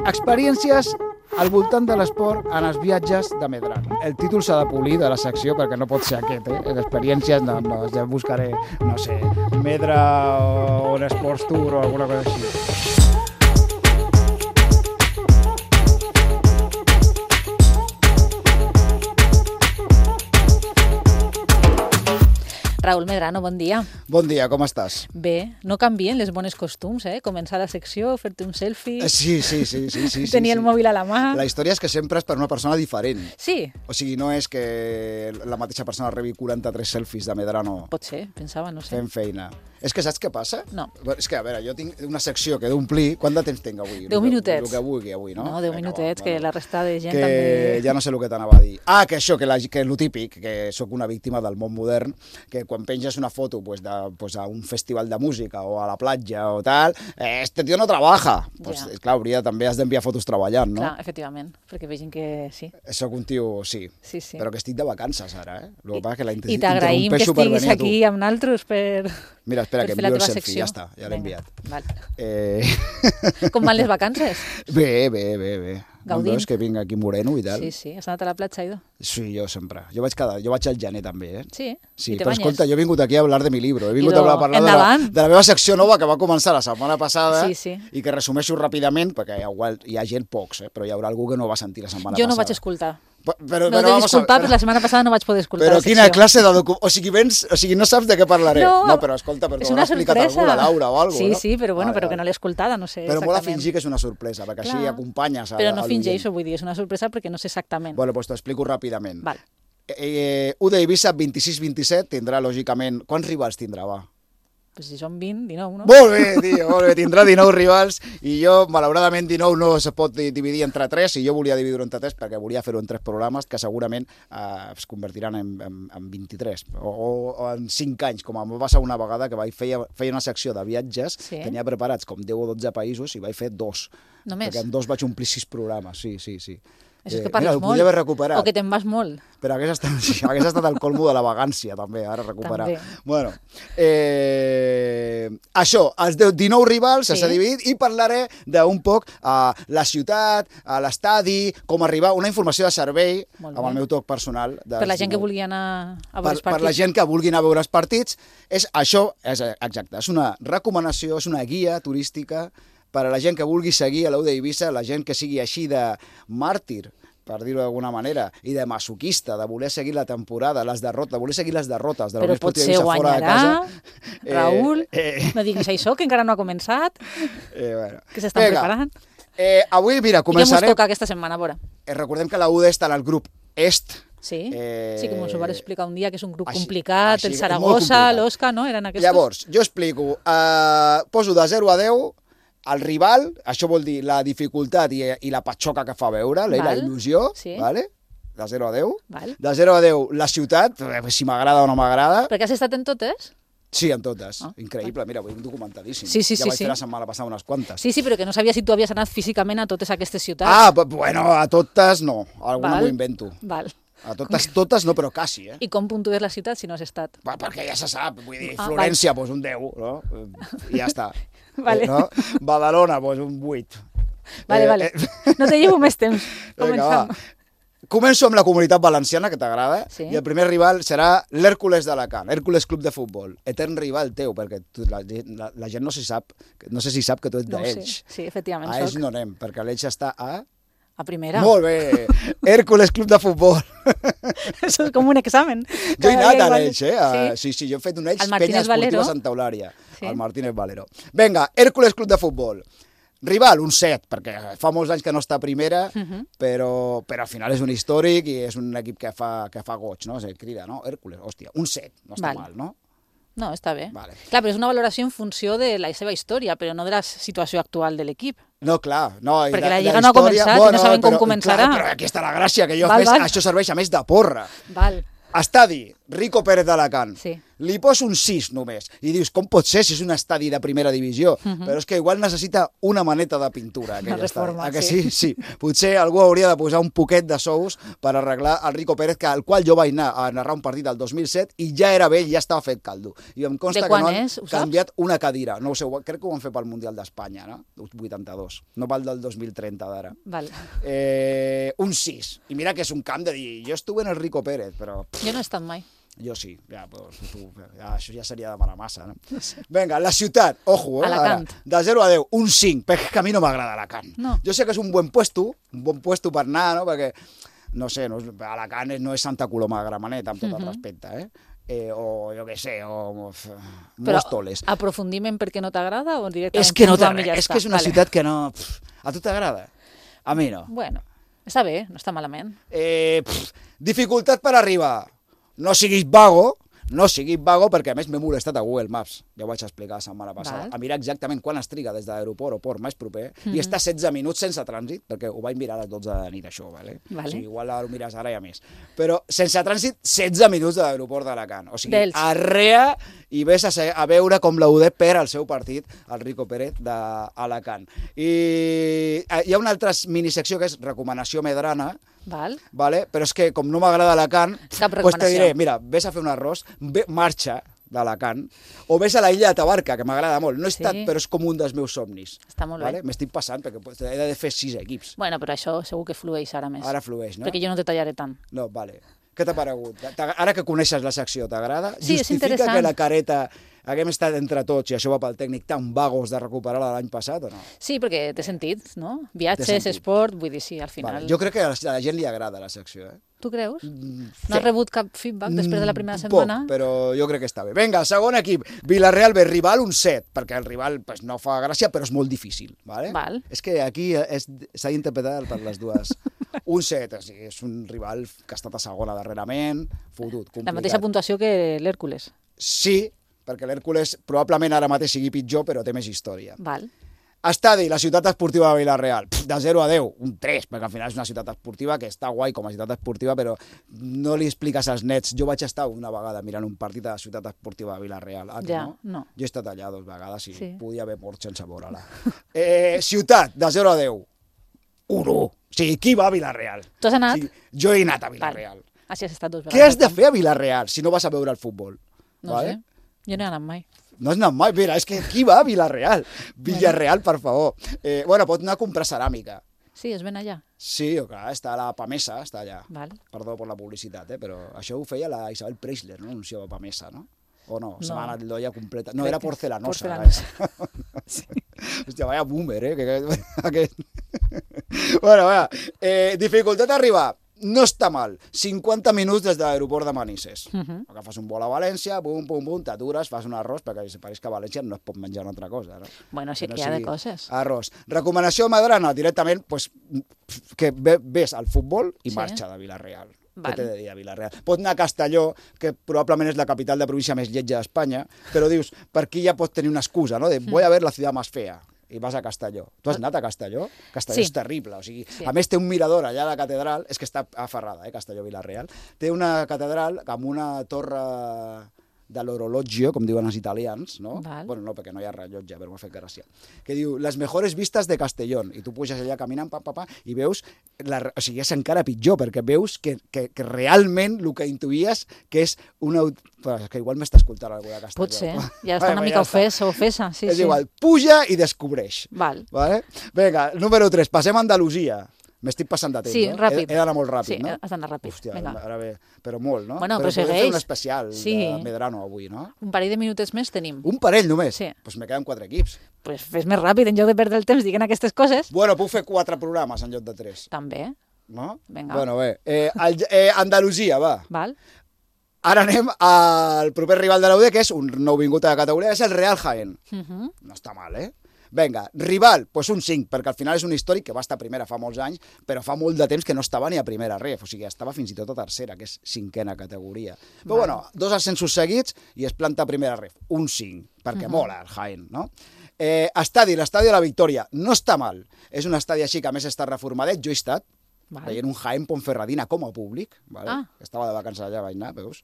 Experiències al voltant de l'esport en els viatges de Medrano. El títol s'ha de polir de la secció perquè no pot ser aquest, Experiències, no, ja buscaré, no sé, Medra o un Sports Tour o alguna cosa així. Raül Medrano, bon dia. Bon dia, com estàs? Bé, no canvien les bones costums, Començar la secció, fer-te un selfie... Sí. Tenir el mòbil a la mà... La història és que sempre és per una persona diferent. Sí. O sigui, no és que la mateixa persona rebi 43 selfies de Medrano. Pot ser, pensava, no sé. Fent feina. És que saps què passa? No. És que, a veure, jo tinc una secció que he d'omplir... Quant de temps tinc avui? 10 minutets. El que vulgui avui, no? No, 10 minutets, que la resta de gent que també... Ja no sé el que t'anava a dir. Que això, que lo típic, que sóc una víctima del món modern, que quan penges una foto a un festival de música o a la platja o tal, este tío no trabaja. Clar, també has d'enviar fotos treballant, no? Clar, efectivament, perquè vegin que sí. Soc un tio, sí, però que estic de vacances ara, I t'agraïm que estiguis aquí amb nosaltres per... Mira, espera, que envio el selfie, ja està, ja l'he enviat. Com van les vacances? Bé. Gaudint. Veus que vinc aquí moreno i tal? Sí, has anat a la platja, Ido? Sí, jo sempre. Jo vaig al gener també, Sí? Sí, però escolta, jo he vingut aquí a hablar de mi libro. He vingut Ido, a parlar de la meva secció nova que va començar la setmana passada i que resumeixo ràpidament, perquè hi ha gent pocs, però hi haurà algú que no va sentir la setmana passada. Jo no vaig escoltar. Però no t'he disculpat, però la setmana passada no vaig poder escoltar però la secció. Quina classe de o sigui, no saps de què parlaré. No, però escolta, però t'ho haurà explicat algú, la Laura o alguna cosa, no? Sí, però que no l'he escoltada, no sé però exactament. Però molt a fingir que és una sorpresa, perquè així acompanyes a però no fingeixo, vull dir, és una sorpresa perquè no sé exactament. Bueno, doncs t'ho explico ràpidament. Val. U d'Eivissa 26-27 tindrà, lògicament... Quants rivals tindrà, va? Pues si són 20, 19, no? Molt bé, tio, molt bé. Tindrà 19 rivals i jo, malauradament, 19 no se pot dividir entre 3 i jo volia dividir-ho entre 3 perquè volia fer-ho en 3 programes que segurament es convertiran en 23 o en 5 anys, com em va passar una vegada que feia una secció de viatges, tenia preparats com 10 o 12 països i vaig fer 2. Només? Perquè en 2 vaig omplir 6 programes, sí. Això és que parles mira, ho molt. podria haver recuperat. O que te'n vas molt. Però hagués estat el colmo de la vagància, també, ara recuperar. També. Bueno, això, els 19 rivals s'ha dividit i parlaré d'un poc a la ciutat, a l'estadi, com arribar, una informació de servei amb el meu toc personal. Per la gent que vulgui anar a veure els partits. Per la gent que vulgui anar a veure els partits, això és exacte, és una recomanació, és una guia turística per a la gent que vulgui seguir a l'U d'Eivissa, la gent que sigui així de màrtir, per dir-ho d'alguna manera, i de masoquista, de voler seguir la temporada, de voler seguir les derrotes de la Unió Esportiva Eivissa fora de casa. Raül, no diguis això, que encara no ha començat, bueno. que s'estan preparant. Avui, mira, començarem... I què mos toca aquesta setmana, a veure? Recordem que la UD està en el grup Est. Sí, sí que mos ho vas explicar un dia, que és un grup complicat, el Saragossa, l'Osca, no? Eren aquests? Llavors, jo explico, poso de 0 a 10 el rival, això vol dir la dificultat i la patxoca que fa veure, la il·lusió, vale? De 0 a 10. Val. De 0 a 10 la ciutat, si m'agrada o no m'agrada. Perquè has estat en totes? Sí, en totes. Increïble, mira, vull documentadíssim. Sí. Ja vaig fer la setmana passada unes quantes. Sí, però que no sabia si tu havies anat físicament a totes aquestes ciutats. Bueno, a totes no, alguna m'ho invento. Val. A totes no, però quasi, I com puntues la ciutat si no has estat? Perquè ja se sap, vull dir, Florència, doncs un 10, no? I ja està. Vale. No? Badalona, doncs un 8. Vale. No te llevo més temps. Començam. Començo amb la Comunitat Valenciana, que t'agrada, i el primer rival serà l'Hèrcules d'Alacant, Hèrcules Club de Futbol, etern rival teu, perquè la gent no sé si sap que tu ets d'Elx. Sí, efectivament. A Elx no anem, perquè l'Elx està a primera. Molt bé. Hèrcules Club de Futbol. Això és com un examen. Jo he anat a l'Elx, Sí, jo he fet un Elx Penya Esportiva Santa Eulària. Al Martínez Valero. Vinga, Hèrcules Club de Futbol. Rival, un 7, perquè fa molts anys que no està a primera, però al final és un històric i és un equip que fa goig, no? Crida, no? Hèrcules, hòstia, un 7, no està mal, no? No, està bé. Clar, però és una valoració en funció de la seva història, però no de la situació actual de l'equip. No, clar. No, perquè la Lliga no ha començat i no sabem com començarà. Però aquí està la gràcia, que això serveix a més de porra. Val. Estadi, Rico Pérez d'Alacant. Sí. Li poso un 6 només. I dius, com pot ser si és un estadi de primera divisió? Però és que igual necessita una maneta de pintura. Una reforma, sí. Potser algú hauria de posar un poquet de sous per arreglar el Rico Pérez, al qual jo vaig anar a narrar un partit del 2007 i ja era vell, ja estava fet caldo. I em consta que no han canviat una cadira. No ho sé, crec que ho van fer pel Mundial d'Espanya, no? 82. No pel del 2030 d'ara. Un 6. I mira que és un camp de dir, jo estuve en el Rico Pérez, però... Jo no he estat mai. Jo sí, això ja seria demanar massa, no? Vinga, la ciutat, ojo, Alacant. De 0 a 10, un 5, perquè a mi no m'agrada Alacant. No. Jo sé que és un bon puesto per anar, no? Perquè, no sé, Alacant no és Santa Coloma de Gramenet, amb tot el respecte, o jo què sé, o Móstoles. Però aprofundim en per què no t'agrada o directament? És que no t'agrada, és que és una ciutat que no... A tu t'agrada? A mi no. Bueno, està bé, no està malament. Dificultat per arribar. No siguis vago, perquè a més m'he molestat a Google Maps, ja ho vaig explicar la setmana passada, a mirar exactament quan es triga des de l'aeroport o port més proper, i està 16 minuts sense trànsit, perquè ho vaig mirar a les 12 de la nit, això, vale? O sigui, igual ho mires ara i a més. Però sense trànsit, 16 minuts de l'aeroport d'Alacant. O sigui, arrea i ves a veure com la UD perd el seu partit, el Rico Pérez d'Alacant. I hi ha una altra minisecció que és recomanació medrana, vale? Però és que com no m'agrada Alacant, doncs te diré, mira, ves a fer un arròs, marxa d'Alacant, o ves a la illa de Tabarca, que m'agrada molt. No he estat, però és com un dels meus somnis. Està molt bé. M'estic passant, perquè he de fer 6 equips. Bueno, però això segur que flueix ara més. Ara flueix, no? Perquè jo no te tallaré tant. No, vale. Què t'ha paregut? Ara que coneixes la secció, t'agrada? Sí, és interessant. Justifica que la careta haguem estat entre tots, i això va pel tècnic, tan vagos de recuperar-la l'any passat, o no? Sí, perquè té sentit, no? Viatges, esport, vull dir, sí, al final... Jo crec que a la gent li agrada la secció, Tu creus? No has rebut cap feedback després de la primera setmana? Poc, però jo crec que està bé. Vinga, el segon equip, Villarreal B, rival un 7, perquè el rival no fa gràcia, però és molt difícil, vale? És que aquí s'ha d'interpretar per les dues. Un 7, és un rival que ha estat a segona darrerament, fotut, complicat. La mateixa puntuació que l'Hèrcules. Sí, perquè l'Hèrcules probablement ara mateix sigui pitjor, però té més història. Val. Estadi, la ciutat esportiva de Villarreal, de 0 a 10, un 3, perquè al final és una ciutat esportiva que està guai com a ciutat esportiva, però no li expliques als nets. Jo vaig estar una vegada mirant un partit de la ciutat esportiva de Villarreal. No. Jo he estat allà 2 vegades i podia haver mort sense veure-la. Ciutat, de 0 a 10, un 1. sigui, qui va a Vila-real? Tu has anat? O sigui, jo he anat a Vila-real. Així has estat 2 vegades. Què has de fer a Vila-real si no vas a veure el futbol? No sé, jo no he anat mai. No has anat mai? Mira, és que qui va a Vila-real? Villarreal, per favor. Bueno, pot anar a comprar ceràmica. Sí, es ven allà. Sí, clar, està a la Pamesa, està allà. Val. Perdó per la publicitat, però això ho feia la Isabel Preisler, no? Anunciava Pamesa, no? O no? Se m'ha anat l'olla completa. No, era porcelanosa. Sí. Hòstia, vaya boomer, Aquest. Bueno, va. Dificultat d'arribar. No està mal. 50 minuts des de l'aeroport de Manises. Agafes un vol a València, bum, bum, bum, t'atures, fas un arròs, perquè pareix que a València no es pot menjar una altra cosa, no? Bueno, sí que hi ha de coses. Arròs. Recomanació madrana, directament, pues, que ves al futbol i marxa de Vila-real. Què t'he de dir a Vila-real? Pot anar a Castelló, que probablement és la capital de província més lletja d'Espanya, però dius, per aquí ja pots tenir una excusa, no? De voy a ver la ciudad más fea. I vas a Castelló. Tu has anat a Castelló? Castelló és terrible, o sigui, a més té un mirador allà a la catedral, és que està aferrada, Castelló-Vila-real, té una catedral amb una torre de l'orologio, com diuen els italians, no? Bueno, no, perquè no hi ha rellotge, però m'ha fet gràcia. Que diu, les mejores vistas de Castellón. I tu puges allà caminant, i veus, o sigui, és encara pitjor, perquè veus que realment el que intuïes que és una... És que igual m'està escoltant algú de Castelló. Potser, ja està una mica ofesa. És igual, puja i descobreix. Val. Vinga, número 3, passem a Andalusia. M'estic passant de temps, sí, no? Ràpid. He d'anar molt ràpid, no? Sí, has d'anar ràpid. Hòstia, ara bé, però molt, no? Bueno, però segueix. Podem fer un especial de Medrano avui, no? Un parell de minutets més tenim. Un parell només? Sí. Doncs me queden 4 equips. Pues fes més ràpid, en lloc de perdre el temps dient aquestes coses. Bueno, puc fer 4 programes en lloc de 3. També. No? Vinga. Bueno, bé. Andalusia, va. Val. Ara anem al proper rival de l'UD, que és un nou vingut a la categoria, és el Real Jaén. No està mal, Vinga, rival, doncs un 5, perquè al final és un històric que va estar a primera fa molts anys, però fa molt de temps que no estava ni a primera ref, o sigui, estava fins i tot a tercera, que és 5a categoria. Però bueno, 2 ascensos seguits i es planta a primera ref, un 5, perquè mola el Jaén, no? L'estadi de la Victòria, no està mal, és un estadi així que a més està reformadet, jo he estat, veient un Jaén Ponferradina com a públic, estava de vacances allà, vaig anar, veus?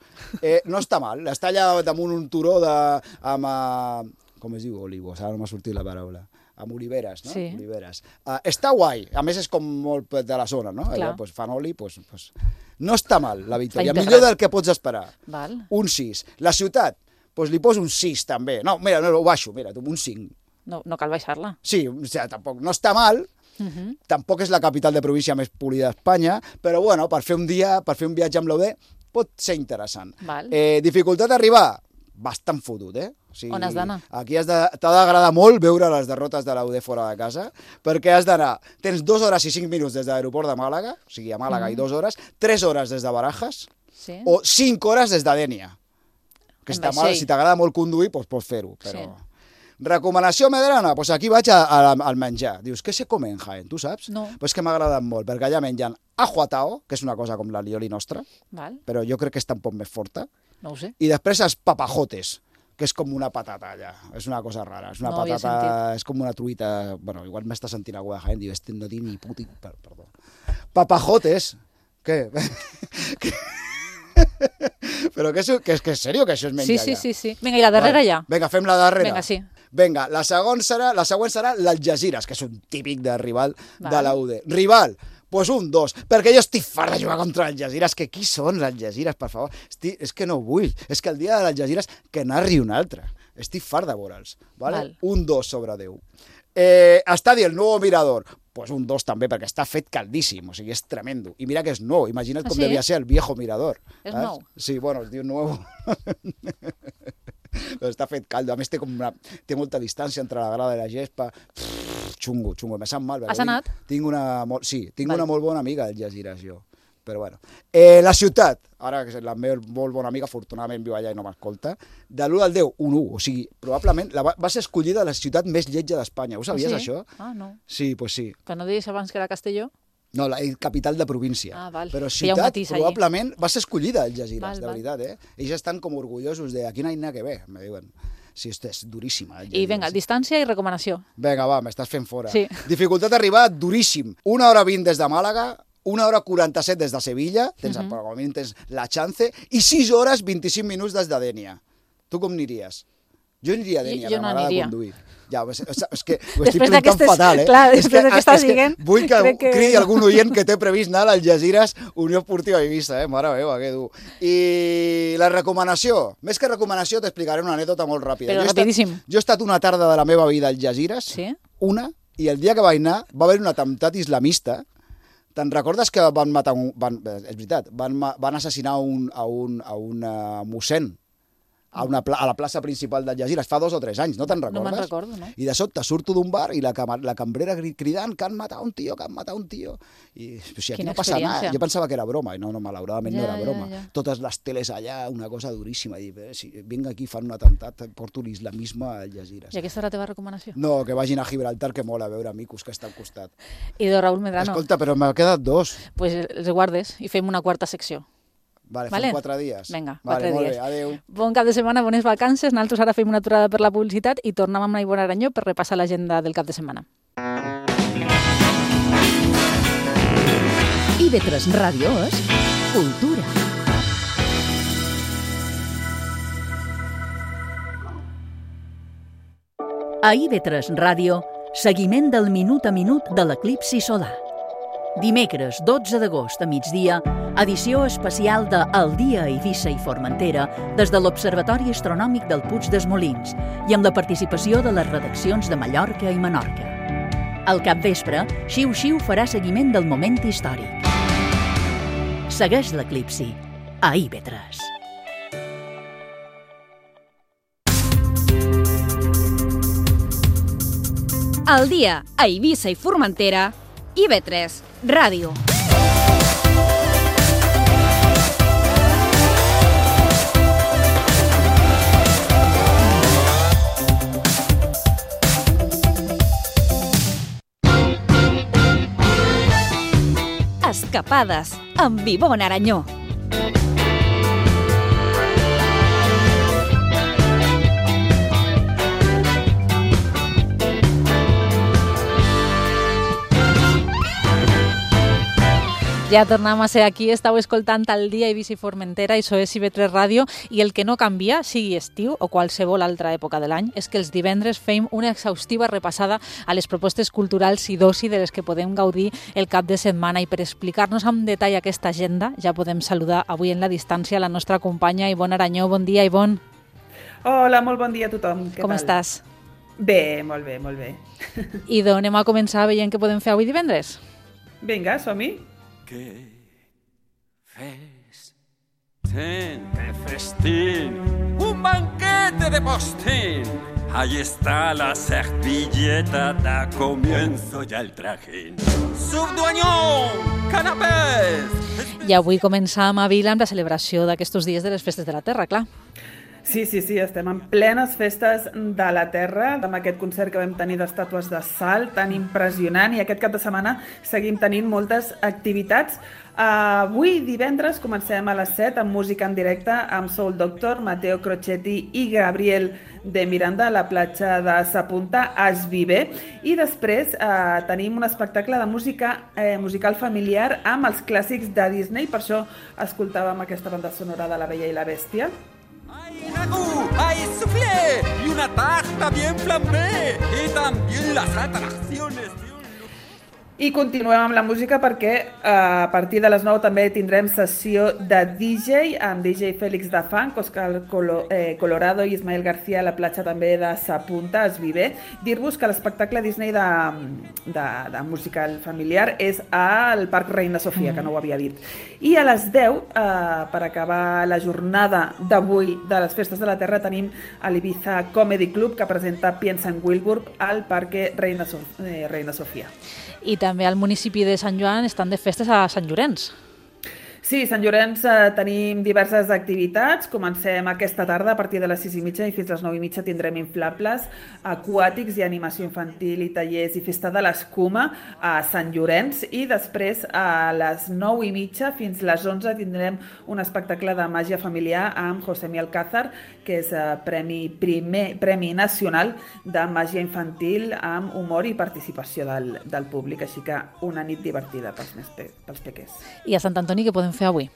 No està mal, està allà damunt un turó amb... com es diu olivos? Ara no m'ha sortit la paraula. Amb oliveres, no? Sí. Oliveres. Està guai. A més, és com molt de la zona, no? Allà, pues, fan oli, pues... No està mal, la Victòria. Millor del que pots esperar. Val. Un 6. La ciutat, pues li poso un 6, també. No, mira, no, ho baixo, mira, un 5. No cal baixar-la. Sí, o sigui, tampoc no està mal, tampoc és la capital de província més polida d'Espanya, però bueno, per fer un viatge amb l'UD pot ser interessant. Val. Dificultat d'arribar? Bastant fotut, O sigui, on has d'anar? Aquí t'ha d'agradar molt veure les derrotes de l'UD fora de casa, perquè has d'anar, tens 2 hores i 5 minuts des de l'aeroport de Màlaga, o sigui, a Màlaga i 2 hores, 3 hores des de Barajas, o 5 hores des de Dénia. Que està mal, si t'agrada molt conduir, doncs pots fer-ho, però... Recomanació medrana? Doncs aquí vaig al menjar. Dius, què se come en Jaén? Tu saps? No. Doncs que m'ha agradat molt, perquè allà mengen ajuatao, que és una cosa com la lioli nostra, però jo crec que està un poc més forta. No ho sé. I després els papajotes, que és com una patata allà. És una cosa rara. És una patata, és com una truita... Bueno, igual m'està sentint algú de Jaén, diu, no tinc ni puti... Perdó. Papajotes. Què? Però que és sèrio que això es menja allà? Sí. Vinga, i la darrera ja? Vinga, fem la darrera. Vinga, sí. Vinga, la següent serà l'Algesires, que és un típic de rival de la UD. Rival, doncs un 2, perquè jo estic fart de jugar contra l'Algesires, que qui són l'Algesires, per favor? És que no vull, és que el dia de l'Algesires que narri un altre. Estic fart de veure'ls, vale? Un 2 sobre 10. Estadi el Nuevo Mirador, doncs un 2 també, perquè està fet caldíssim, o sigui, és tremendo. I mira que és nou, imagina't com devia ser el viejo Mirador. És nou? Sí, bueno, es diu Nuevo... Però està fet caldo, a més té molta distància entre la grada i la gespa. Xungo, me sap mal. Has anat? Tinc una molt bona amiga d'Algesires, jo. Però bueno. La ciutat, ara que la meva molt bona amiga, afortunadament viu allà i no m'escolta, de l'1 al 10, un 1. O sigui, probablement va ser escollida la ciutat més lletja d'Espanya. Ho sabies, això? Ah, no. Sí, doncs sí. Que no deies abans que era Castelló? No, la capital de província. Ah, val. Però ciutat probablement va ser escollida Algesires, de veritat, Ells estan com orgullosos de aquí no hi ha que ver, me diuen. Sí, és duríssima. I vinga, distància i recomanació. Vinga, va, m'estàs fent fora. Sí. Dificultat d'arribar, duríssim. 1 hora 20 des de Màlaga, 1 hora 47 des de Sevilla, tens la chance, i 6 hores 25 minuts des de Dénia. Tu com aniries? Jo aniria a Dénia, jo no m'agrada aniria. conduir. Ja, és que ho estic fent tan fatal, Clar, després del que estàs dient... Vull que cridi algun oient que té previst anar al Algesires Unió Esportiva Eivissa, mare meva, que dur. I la recomanació, més que recomanació, t'explicaré una anècdota molt ràpida. Però rapidíssim. Jo he estat una tarda de la meva vida al Algesires, i el dia que vaig anar va haver un atemptat islamista. Te'n recordes que van matar és veritat, van assassinar a un mossèn a la plaça principal d'Algesires fa 2 o 3 anys, no te'n recordes? No me'n recordo, no. I de sobte surto d'un bar i la cambrera cridant que han matat un tio, I si aquí no passa res, jo pensava que era broma, i no, malauradament no era broma. Totes les teles allà, una cosa duríssima. I si vinc aquí, fan un atemptat, porto l'islamisme a Algesires. I aquesta és la teva recomanació? No, que vagin a Gibraltar, que mola veure micos que està al costat. I de Raúl Medrano. Escolta, però m'ha quedat 2. Pues els guardes i fem una 4a secció. Vale, fem 4 dies. Vinga, 4 vale, dies. Molt bé, adéu. Bon cap de setmana, bones vacances. Nosaltres ara fem una aturada per la publicitat i tornem amb Ivonne Aranyó per repassar l'agenda del cap de setmana. IB3 Ràdio és cultura. A IB3 Ràdio, seguiment del minut a minut de l'eclipsi solar. Dimecres 12 d'agost a migdia, edició especial de El dia a Eivissa i Formentera des de l'Observatori Astronòmic del Puig dels Molins i amb la participació de les redaccions de Mallorca i Menorca. Al capvespre, Xiu Xiu farà seguiment del moment històric. Segueix l'eclipsi a IB3. El dia a Eivissa i Formentera, IB3 Ràdio. Escapades amb Ivonne Aranyó. Ja tornem a ser aquí, estàu escoltant el dia Eivissa i Formentera, això és IB3 Ràdio, i el que no canvia, sigui estiu o qualsevol altra època de l'any, és que els divendres fem una exhaustiva repassada a les propostes culturals i d'oci de les que podem gaudir el cap de setmana, i per explicar-nos amb detall aquesta agenda ja podem saludar avui en la distància la nostra companya Ivonne Aranyó. Bon dia, Ivonne. Hola, molt bon dia a tothom. Com estàs? Bé, molt bé, molt bé. I d'on anem a començar veient què podem fer avui divendres? Vinga, som-hi. ¡Qué festín! ¡Un banquete de postín! Ahí está la servilleta, da comienzo ya el trajín. ¡Subduanyón! ¡Canapés! I avui començam a Vila amb la celebració d'aquests dies de les festes de la Terra, clar. Sí, estem en plenes festes de la Terra, amb aquest concert que vam tenir d'estàtues de sal tan impressionant, i aquest cap de setmana seguim tenint moltes activitats. Avui, divendres, comencem a les 7 amb música en directe amb Soul Doctor, Matteo Crocetti i Gabriel de Miranda a la platja de Sapunta, es Vive. I després tenim un espectacle de música musical familiar amb els clàssics de Disney, per això escoltàvem aquesta banda sonora de La Bella i la Bèstia. ¡Hay ragú! ¡Hay soufflé! ¡Y una tarta bien flambé! ¡Y también las atracciones! I continuem amb la música perquè a partir de les 9 també tindrem sessió de DJ amb DJ Félix de Funk, Oscar Colorado i Ismael García a la platja també de Sapunta, es Vive. Dir-vos que l'espectacle Disney de musical familiar és al Parc Reina Sofia, que no ho havia dit. I a les 10, per acabar la jornada d'avui de les Festes de la Terra, tenim a l'Ibiza Comedy Club, que presenta Piensa en Wilbur al Parque Reina Sofia. I també al municipi de Sant Joan estan de festes a Sant Llorenç. Sí, Sant Llorenç tenim diverses activitats. Comencem aquesta tarda a partir de les 6:30 i fins a les 9:30 tindrem inflables aquàtics i animació infantil i tallers i festa de l'escuma a Sant Llorenç, i després a les 9:30 fins a les 11 tindrem un espectacle de màgia familiar amb Josemi Alcázar, que és Premi Nacional de Màgia Infantil amb humor i participació del públic, així que una nit divertida pels pequers. I a Sant Antoni què podem fer avui?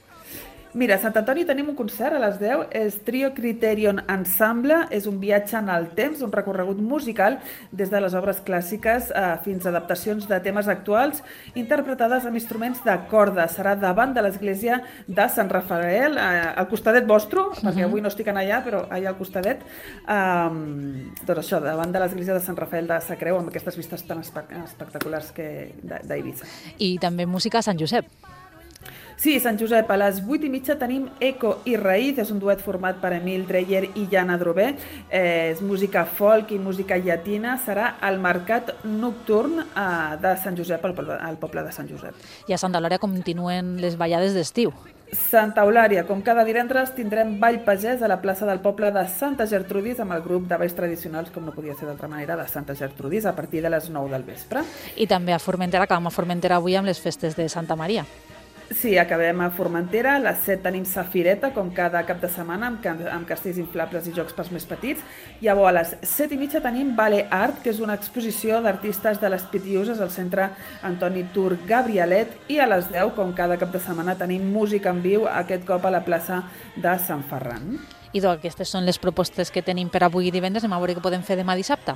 Mira, a Sant Antoni tenim un concert a les 10, és Trio Criterion Ensemble, és un viatge en el temps, un recorregut musical des de les obres clàssiques fins a adaptacions de temes actuals interpretades amb instruments de corda. Serà davant de l'església de Sant Rafael, al costadet vostre, perquè avui no estic allà, però allà al costadet, doncs això, davant de l'església de Sant Rafael de Sacreu, amb aquestes vistes tan espectaculars d'Eivissa. I també música a Sant Josep. Sí, Sant Josep, a les 8:30 tenim Eco i Raïz, és un duet format per Emil Dreyer i Jana Drové, és música folk i música llatina, serà al Mercat Nocturn de Sant Josep, al poble de Sant Josep. I a Santa Eulària continuen les ballades d'estiu. Santa Eulària, com cada divendres, tindrem ball pagès a la plaça del poble de Santa Gertrudis amb el grup de balls tradicionals, com no podia ser d'altra manera, de Santa Gertrudis, a partir de les 9 del vespre. I també a Formentera, acabem a Formentera avui amb les festes de Santa Maria. Sí, acabem a Formentera, a les 7 tenim Safireta, com cada cap de setmana, amb castells inflables i jocs pels més petits. Llavors, a les 7:30 tenim Vale Art, que és una exposició d'artistes de les Pitiuses al centre Antoni Tur Gabrielet, i a les 10, com cada cap de setmana, tenim música en viu, aquest cop a la plaça de Sant Ferran. I doncs aquestes són les propostes que tenim per avui divendres, anem a veure què podem fer demà dissabte.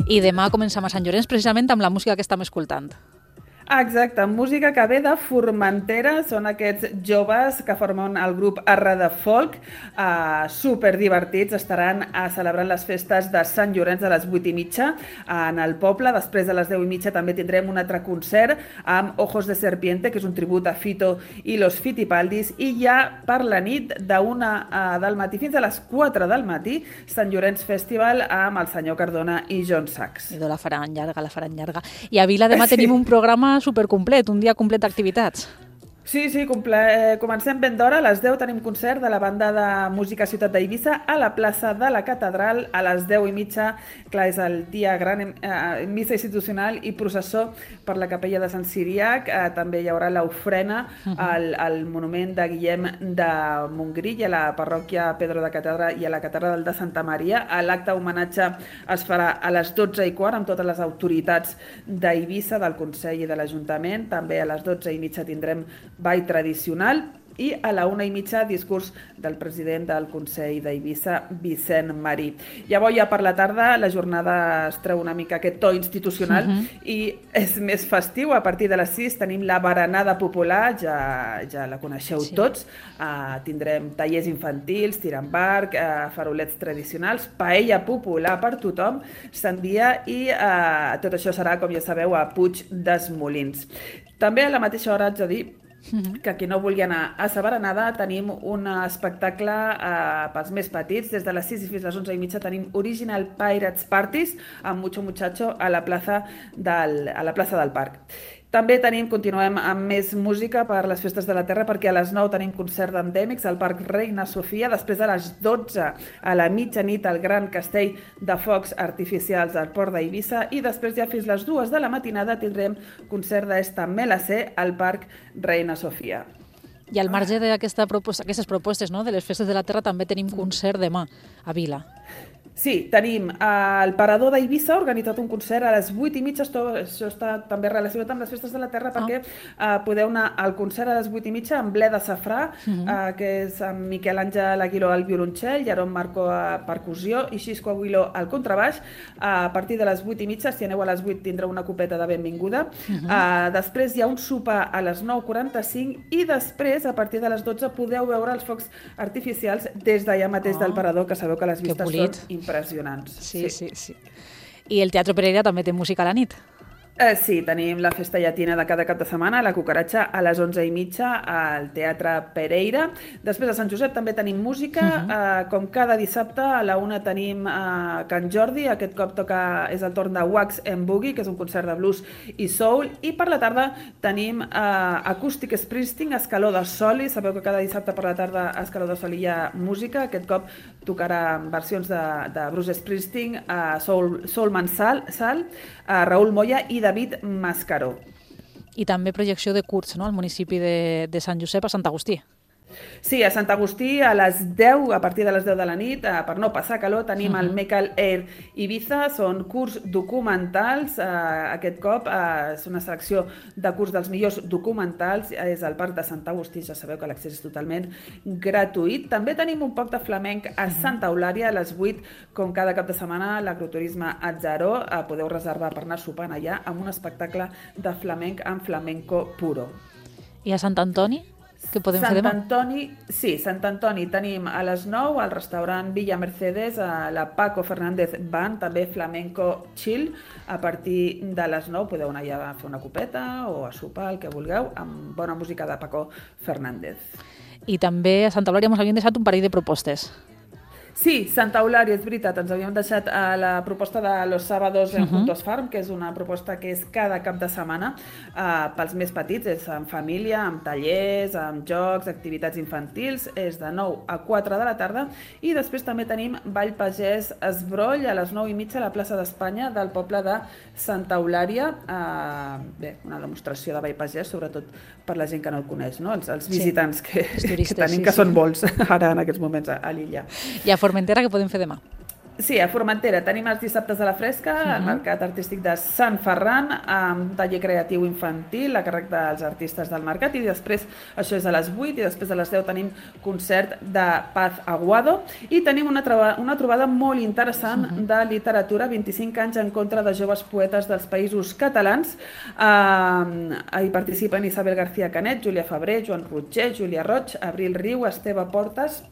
I demà comencem a Sant Llorenç precisament amb la música que estem escoltant. Exacte, música que ve de Formentera, són aquests joves que formen el grup Arra de Folk, superdivertits, estaran celebrant les festes de Sant Llorenç a les 8:30 en el poble. Després, a les 10:30 també tindrem un altre concert amb Ojos de Serpiente, que és un tribut a Fito i los Fitipaldis, i ja per la nit d'1 del matí fins a les 4 del matí, Sant Llorenç Festival amb el senyor Cardona i John Sachs. I la faran llarga. I a Vila demà tenim un programa supercomplet, un dia complet d'activitats. Sí, comencem ben d'hora. A les 10 tenim concert de la banda de música Ciutat d'Eivissa a la plaça de la Catedral. A les 10:30, clar, és el dia gran, missa institucional i processó per la capella de Sant Siriac. També hi haurà l'ofrena al monument de Guillem de Montgrí i a la parròquia Pedro de Catedra i a la catedral de Santa Maria. L'acte homenatge es farà a les 12:15 amb totes les autoritats d'Eivissa, del Consell i de l'Ajuntament. També a les 12:30 tindrem ball tradicional i a la 1:30 discurs del president del Consell d'Eivissa, Vicent Marí. Llavors, ja per la tarda, la jornada es treu una mica aquest to institucional i és més festiu. A partir de les 6 tenim la berenada popular, ja la coneixeu tots. Tindrem tallers infantils, tir amb barc, farolets tradicionals, paella popular per tothom, sandia i tot això serà, com ja sabeu, a Puig des Molins. També a la mateixa hora haig de dir que qui no vulgui anar a sa berenada tenim un espectacle pels més petits. Des de les 6 fins a les 11:30 tenim Original Pirates Parties amb Mucho Muchacho a la plaça del Parc. També continuem amb més música per les festes de la Terra, perquè a les 9 tenim concert d'endèmics al Parc Reina Sofia, després a les 12 a la mitjanit al Gran Castell de Focs Artificials al Port d'Eivissa i després ja fins les 2 de la matinada tindrem concert d'Esta Melacé al Parc Reina Sofia. I al marge d'aquestes propostes, no, de les festes de la Terra també tenim concert demà a Vila. Sí, tenim el Parador d'Eivissa, ha organitzat un concert a les 8:30, això està també relacionat amb les festes de la Terra, perquè podeu anar al concert a les 8:30 amb Ble de Safrà, que és amb Miquel Àngel Aguiló al violoncel, Jaron Marco a percussió i Xisco Aguiló al contrabaix. A partir de les 8:30, si aneu a les 8 tindreu una copeta de benvinguda. Després hi ha un sopar a les 9:45 i després, a partir de les 12, podeu veure els focs artificials des d'allà mateix del Parador, que sabeu que les vistes són impressionants. Sí. I el Teatre Pereira també té música a la nit? Sí, tenim la festa llatina de cada cap de setmana, la cucaratxa, a les 11:30 al Teatre Pereira. Després a Sant Josep també tenim música, com cada dissabte a la 1 tenim Can Jordi, aquest cop és el torn de Wax and Boogie, que és un concert de blues i soul, i per la tarda tenim Acústic Springsteen, Escaló de Soli, sabeu que cada dissabte per la tarda a Escaló de Soli hi ha música, aquest cop tocarà versions de Bruce Springsteen, Soul Mansal, Raül Moya i David Mascaró. I també projecció de curts, no?, al municipi de Sant Josep, a Sant Agustí. Sí, a Sant Agustí a les 10, a partir de les 10 de la nit, per no passar calor, tenim el Mecal Air Ibiza, són curts documentals, aquest cop és una selecció de curts dels millors documentals, és al Parc de Sant Agustí, ja sabeu que l'accés és totalment gratuït. També tenim un poc de flamenc a Santa Eulària, a les 8, com cada cap de setmana, l'agroturisme Atzaró, podeu reservar per anar sopant allà amb un espectacle de flamenc amb flamenco puro. I a Sant Antoni? Què podem fer demà? Sant Antoni tenim a les 9 al restaurant Villa Mercedes, a la Paco Fernández Band, també flamenco chill. A partir de les 9 podeu anar allà a fer una copeta o a sopar, el que vulgueu, amb bona música de Paco Fernández. I també a Santa Eulària ens havien deixat un parell de propostes. Sí, Santa Eulària, és veritat, ens havíem deixat la proposta de Los Sábados en Juntos Farm, que és una proposta que és cada cap de setmana pels més petits, és en família, amb tallers, amb jocs, activitats infantils, és de 9 a 4 de la tarda, i després també tenim Ball Pagès Esbroll a les 9:30 a la plaça d'Espanya del poble de Santa Eulària. Bé, una demostració de Ball Pagès, sobretot per la gent que no el coneix, no? Els visitants que tenim, que són molts ara en aquests moments a l'illa. I a Formentera què podem fer demà? Sí, a Formentera tenim els dissabtes a la fresca, al Mercat Artístic de Sant Ferran, amb un taller creatiu infantil a càrrec dels artistes del mercat, i després, això és a les 8, i després a les 10 tenim concert de Paz Aguado, i tenim una trobada molt interessant de literatura, 25 anys en contra de joves poetes dels països catalans. Hi participen Isabel García Canet, Júlia Febrer, Joan Rotger, Júlia Roig, Abril Riu, Esteve Portes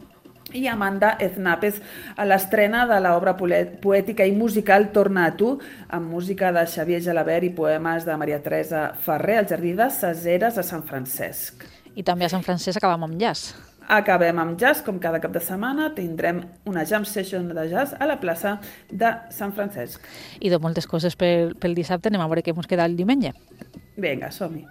i Amanda Eznapes, a l'estrena de l'obra poètica i musical Torna a tu, amb música de Xavier Gelabert i poemes de Maria Teresa Ferrer, al Jardí de Caseres a Sant Francesc. I també a Sant Francesc acabem amb jazz. Acabem amb jazz, com cada cap de setmana, tindrem una jam session de jazz a la plaça de Sant Francesc. I de moltes coses pel dissabte, anem a veure què ens queda el diumenge. Vinga, som-hi.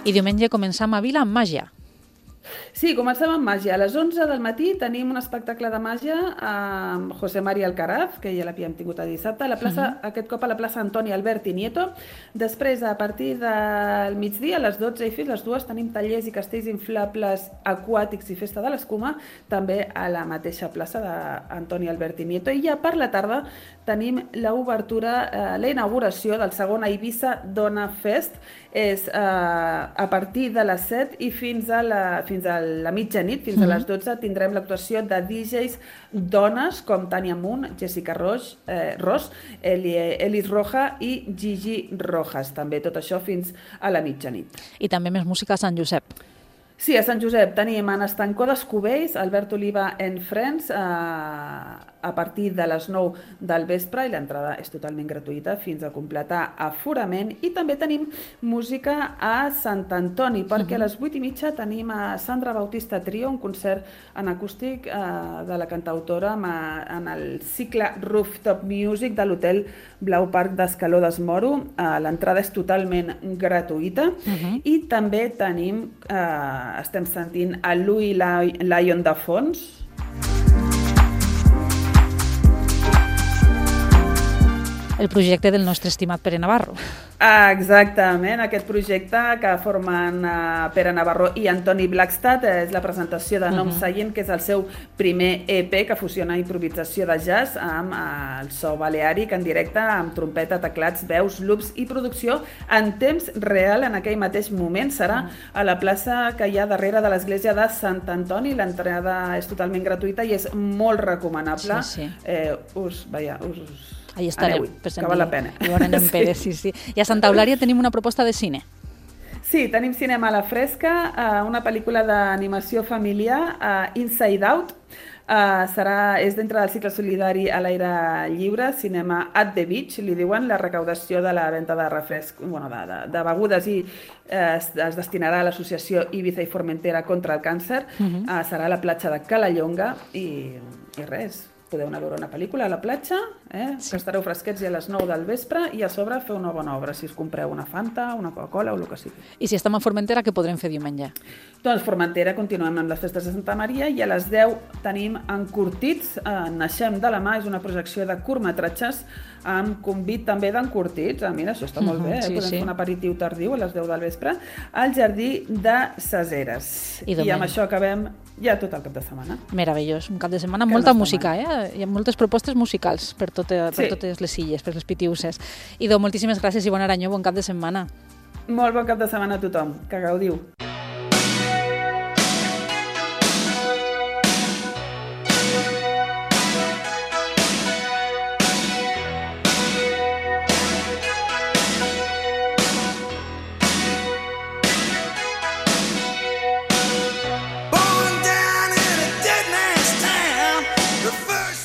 I diumenge començam a Vila amb màgia. Sí, comencem amb màgia. A les 11 del matí tenim un espectacle de màgia amb José María Alcaraz, que ja l'havíem tingut a dissabte, a la plaça, aquest cop a la plaça Antoni Alberti Nieto. Després, a partir del migdia, a les 12 i fins les 2, tenim tallers i castells inflables aquàtics i festa de l'escuma, també a la mateixa plaça d'Antoni Alberti Nieto. I ja per la tarda tenim l'obertura, la inauguració del segon Eivissa Dona Fest. És a partir de les 7 i fins a la mitjanit, fins a les 12, tindrem l'actuació de DJs dones com Tània Munt, Jessica Ros, Elis Roja i Gigi Rojas. També tot això fins a la mitjanit. I també més música a Sant Josep. Sí, a Sant Josep tenim en Estancó d'Escubells, Albert Oliva and Friends, a partir de les 9 del vespre, i l'entrada és totalment gratuïta fins a completar aforament. I també tenim música a Sant Antoni, perquè a les 8:30 tenim a Sandra Bautista Trio, un concert en acústic de la cantautora en el cicle Rooftop Music de l'Hotel Blau Parc d'Escaló d'Esmoro. L'entrada és totalment gratuïta. I també tenim, estem sentint a Louis Lyon de fons. El projecte del nostre estimat Pere Navarro. Exactament, aquest projecte que formen Pere Navarro i Antoni Blackstad és la presentació de Nom Seient, que és el seu primer EP que fusiona improvisació de jazz amb el so baleàric en directe, amb trompeta, teclats, veus, loops i producció en temps real en aquell mateix moment. Serà a la plaça que hi ha darrere de l'església de Sant Antoni. L'entrada és totalment gratuïta i és molt recomanable. Ahí estareu, que val la pena. I veurem en Pere, sí. I a Santa Eulària tenim una proposta de cine. Sí, tenim cinema a la fresca, una pel·lícula d'animació familiar, Inside Out. És dintre del cicle solidari a l'aire lliure, cinema at the beach, li diuen. La recaudació de la venda de refresc, de begudes i es destinarà a l'associació Ibiza i Formentera contra el càncer. Serà a la platja de Calallonga i res. podeu anar a veure una pel·lícula a la platja, que estareu fresquets i a les 9 del vespre, i a sobre fer una bona obra, si us compreu una Fanta, una Coca-Cola o el que sigui. I si estem a Formentera, què podrem fer diumenge? Doncs Formentera continuem amb les festes de Santa Maria i a les 10 tenim Encurtits, Naixem de la mà, és una projecció de curtmetratges amb convit també d'encurtits. Mira, això està molt bé, podem fer un aperitiu tardiu a les 10 del vespre al Jardí de Ses Eres. I amb això acabem ja tot el cap de setmana. Meravellós, un cap de setmana amb molta música, Hi ha moltes propostes musicals per totes les illes, per les Pitiuses. Idò, moltíssimes gràcies i bon Aranyó, bon cap de setmana. Molt bon cap de setmana a tothom, que gaudiu.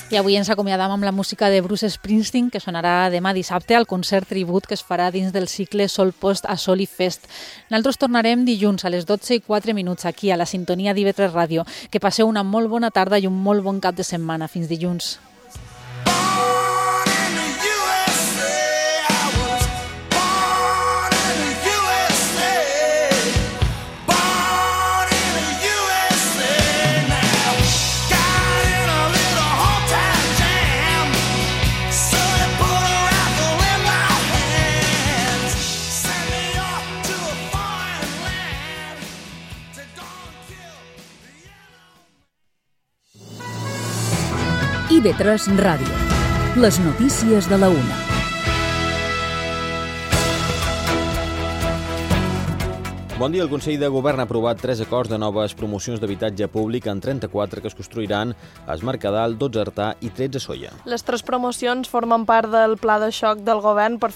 I avui ens acomiadam amb la música de Bruce Springsteen, que sonarà demà dissabte al concert tribut que es farà dins del cicle Sol Post a Sol i Fest. Nosaltres tornarem dilluns a les 12:04 aquí a la sintonia d'IV3 Ràdio. Que passeu una molt bona tarda i un molt bon cap de setmana. Fins dilluns. IV3 Ràdio. Les notícies de la 1. Bon dia. El Consell de Govern ha aprovat 3 acords de noves promocions d'habitatge públic en 34 que es construiran a Es Mercadal, 12 a Artà i 13 a Sóller. Les 3 promocions formen part del pla de xoc del govern per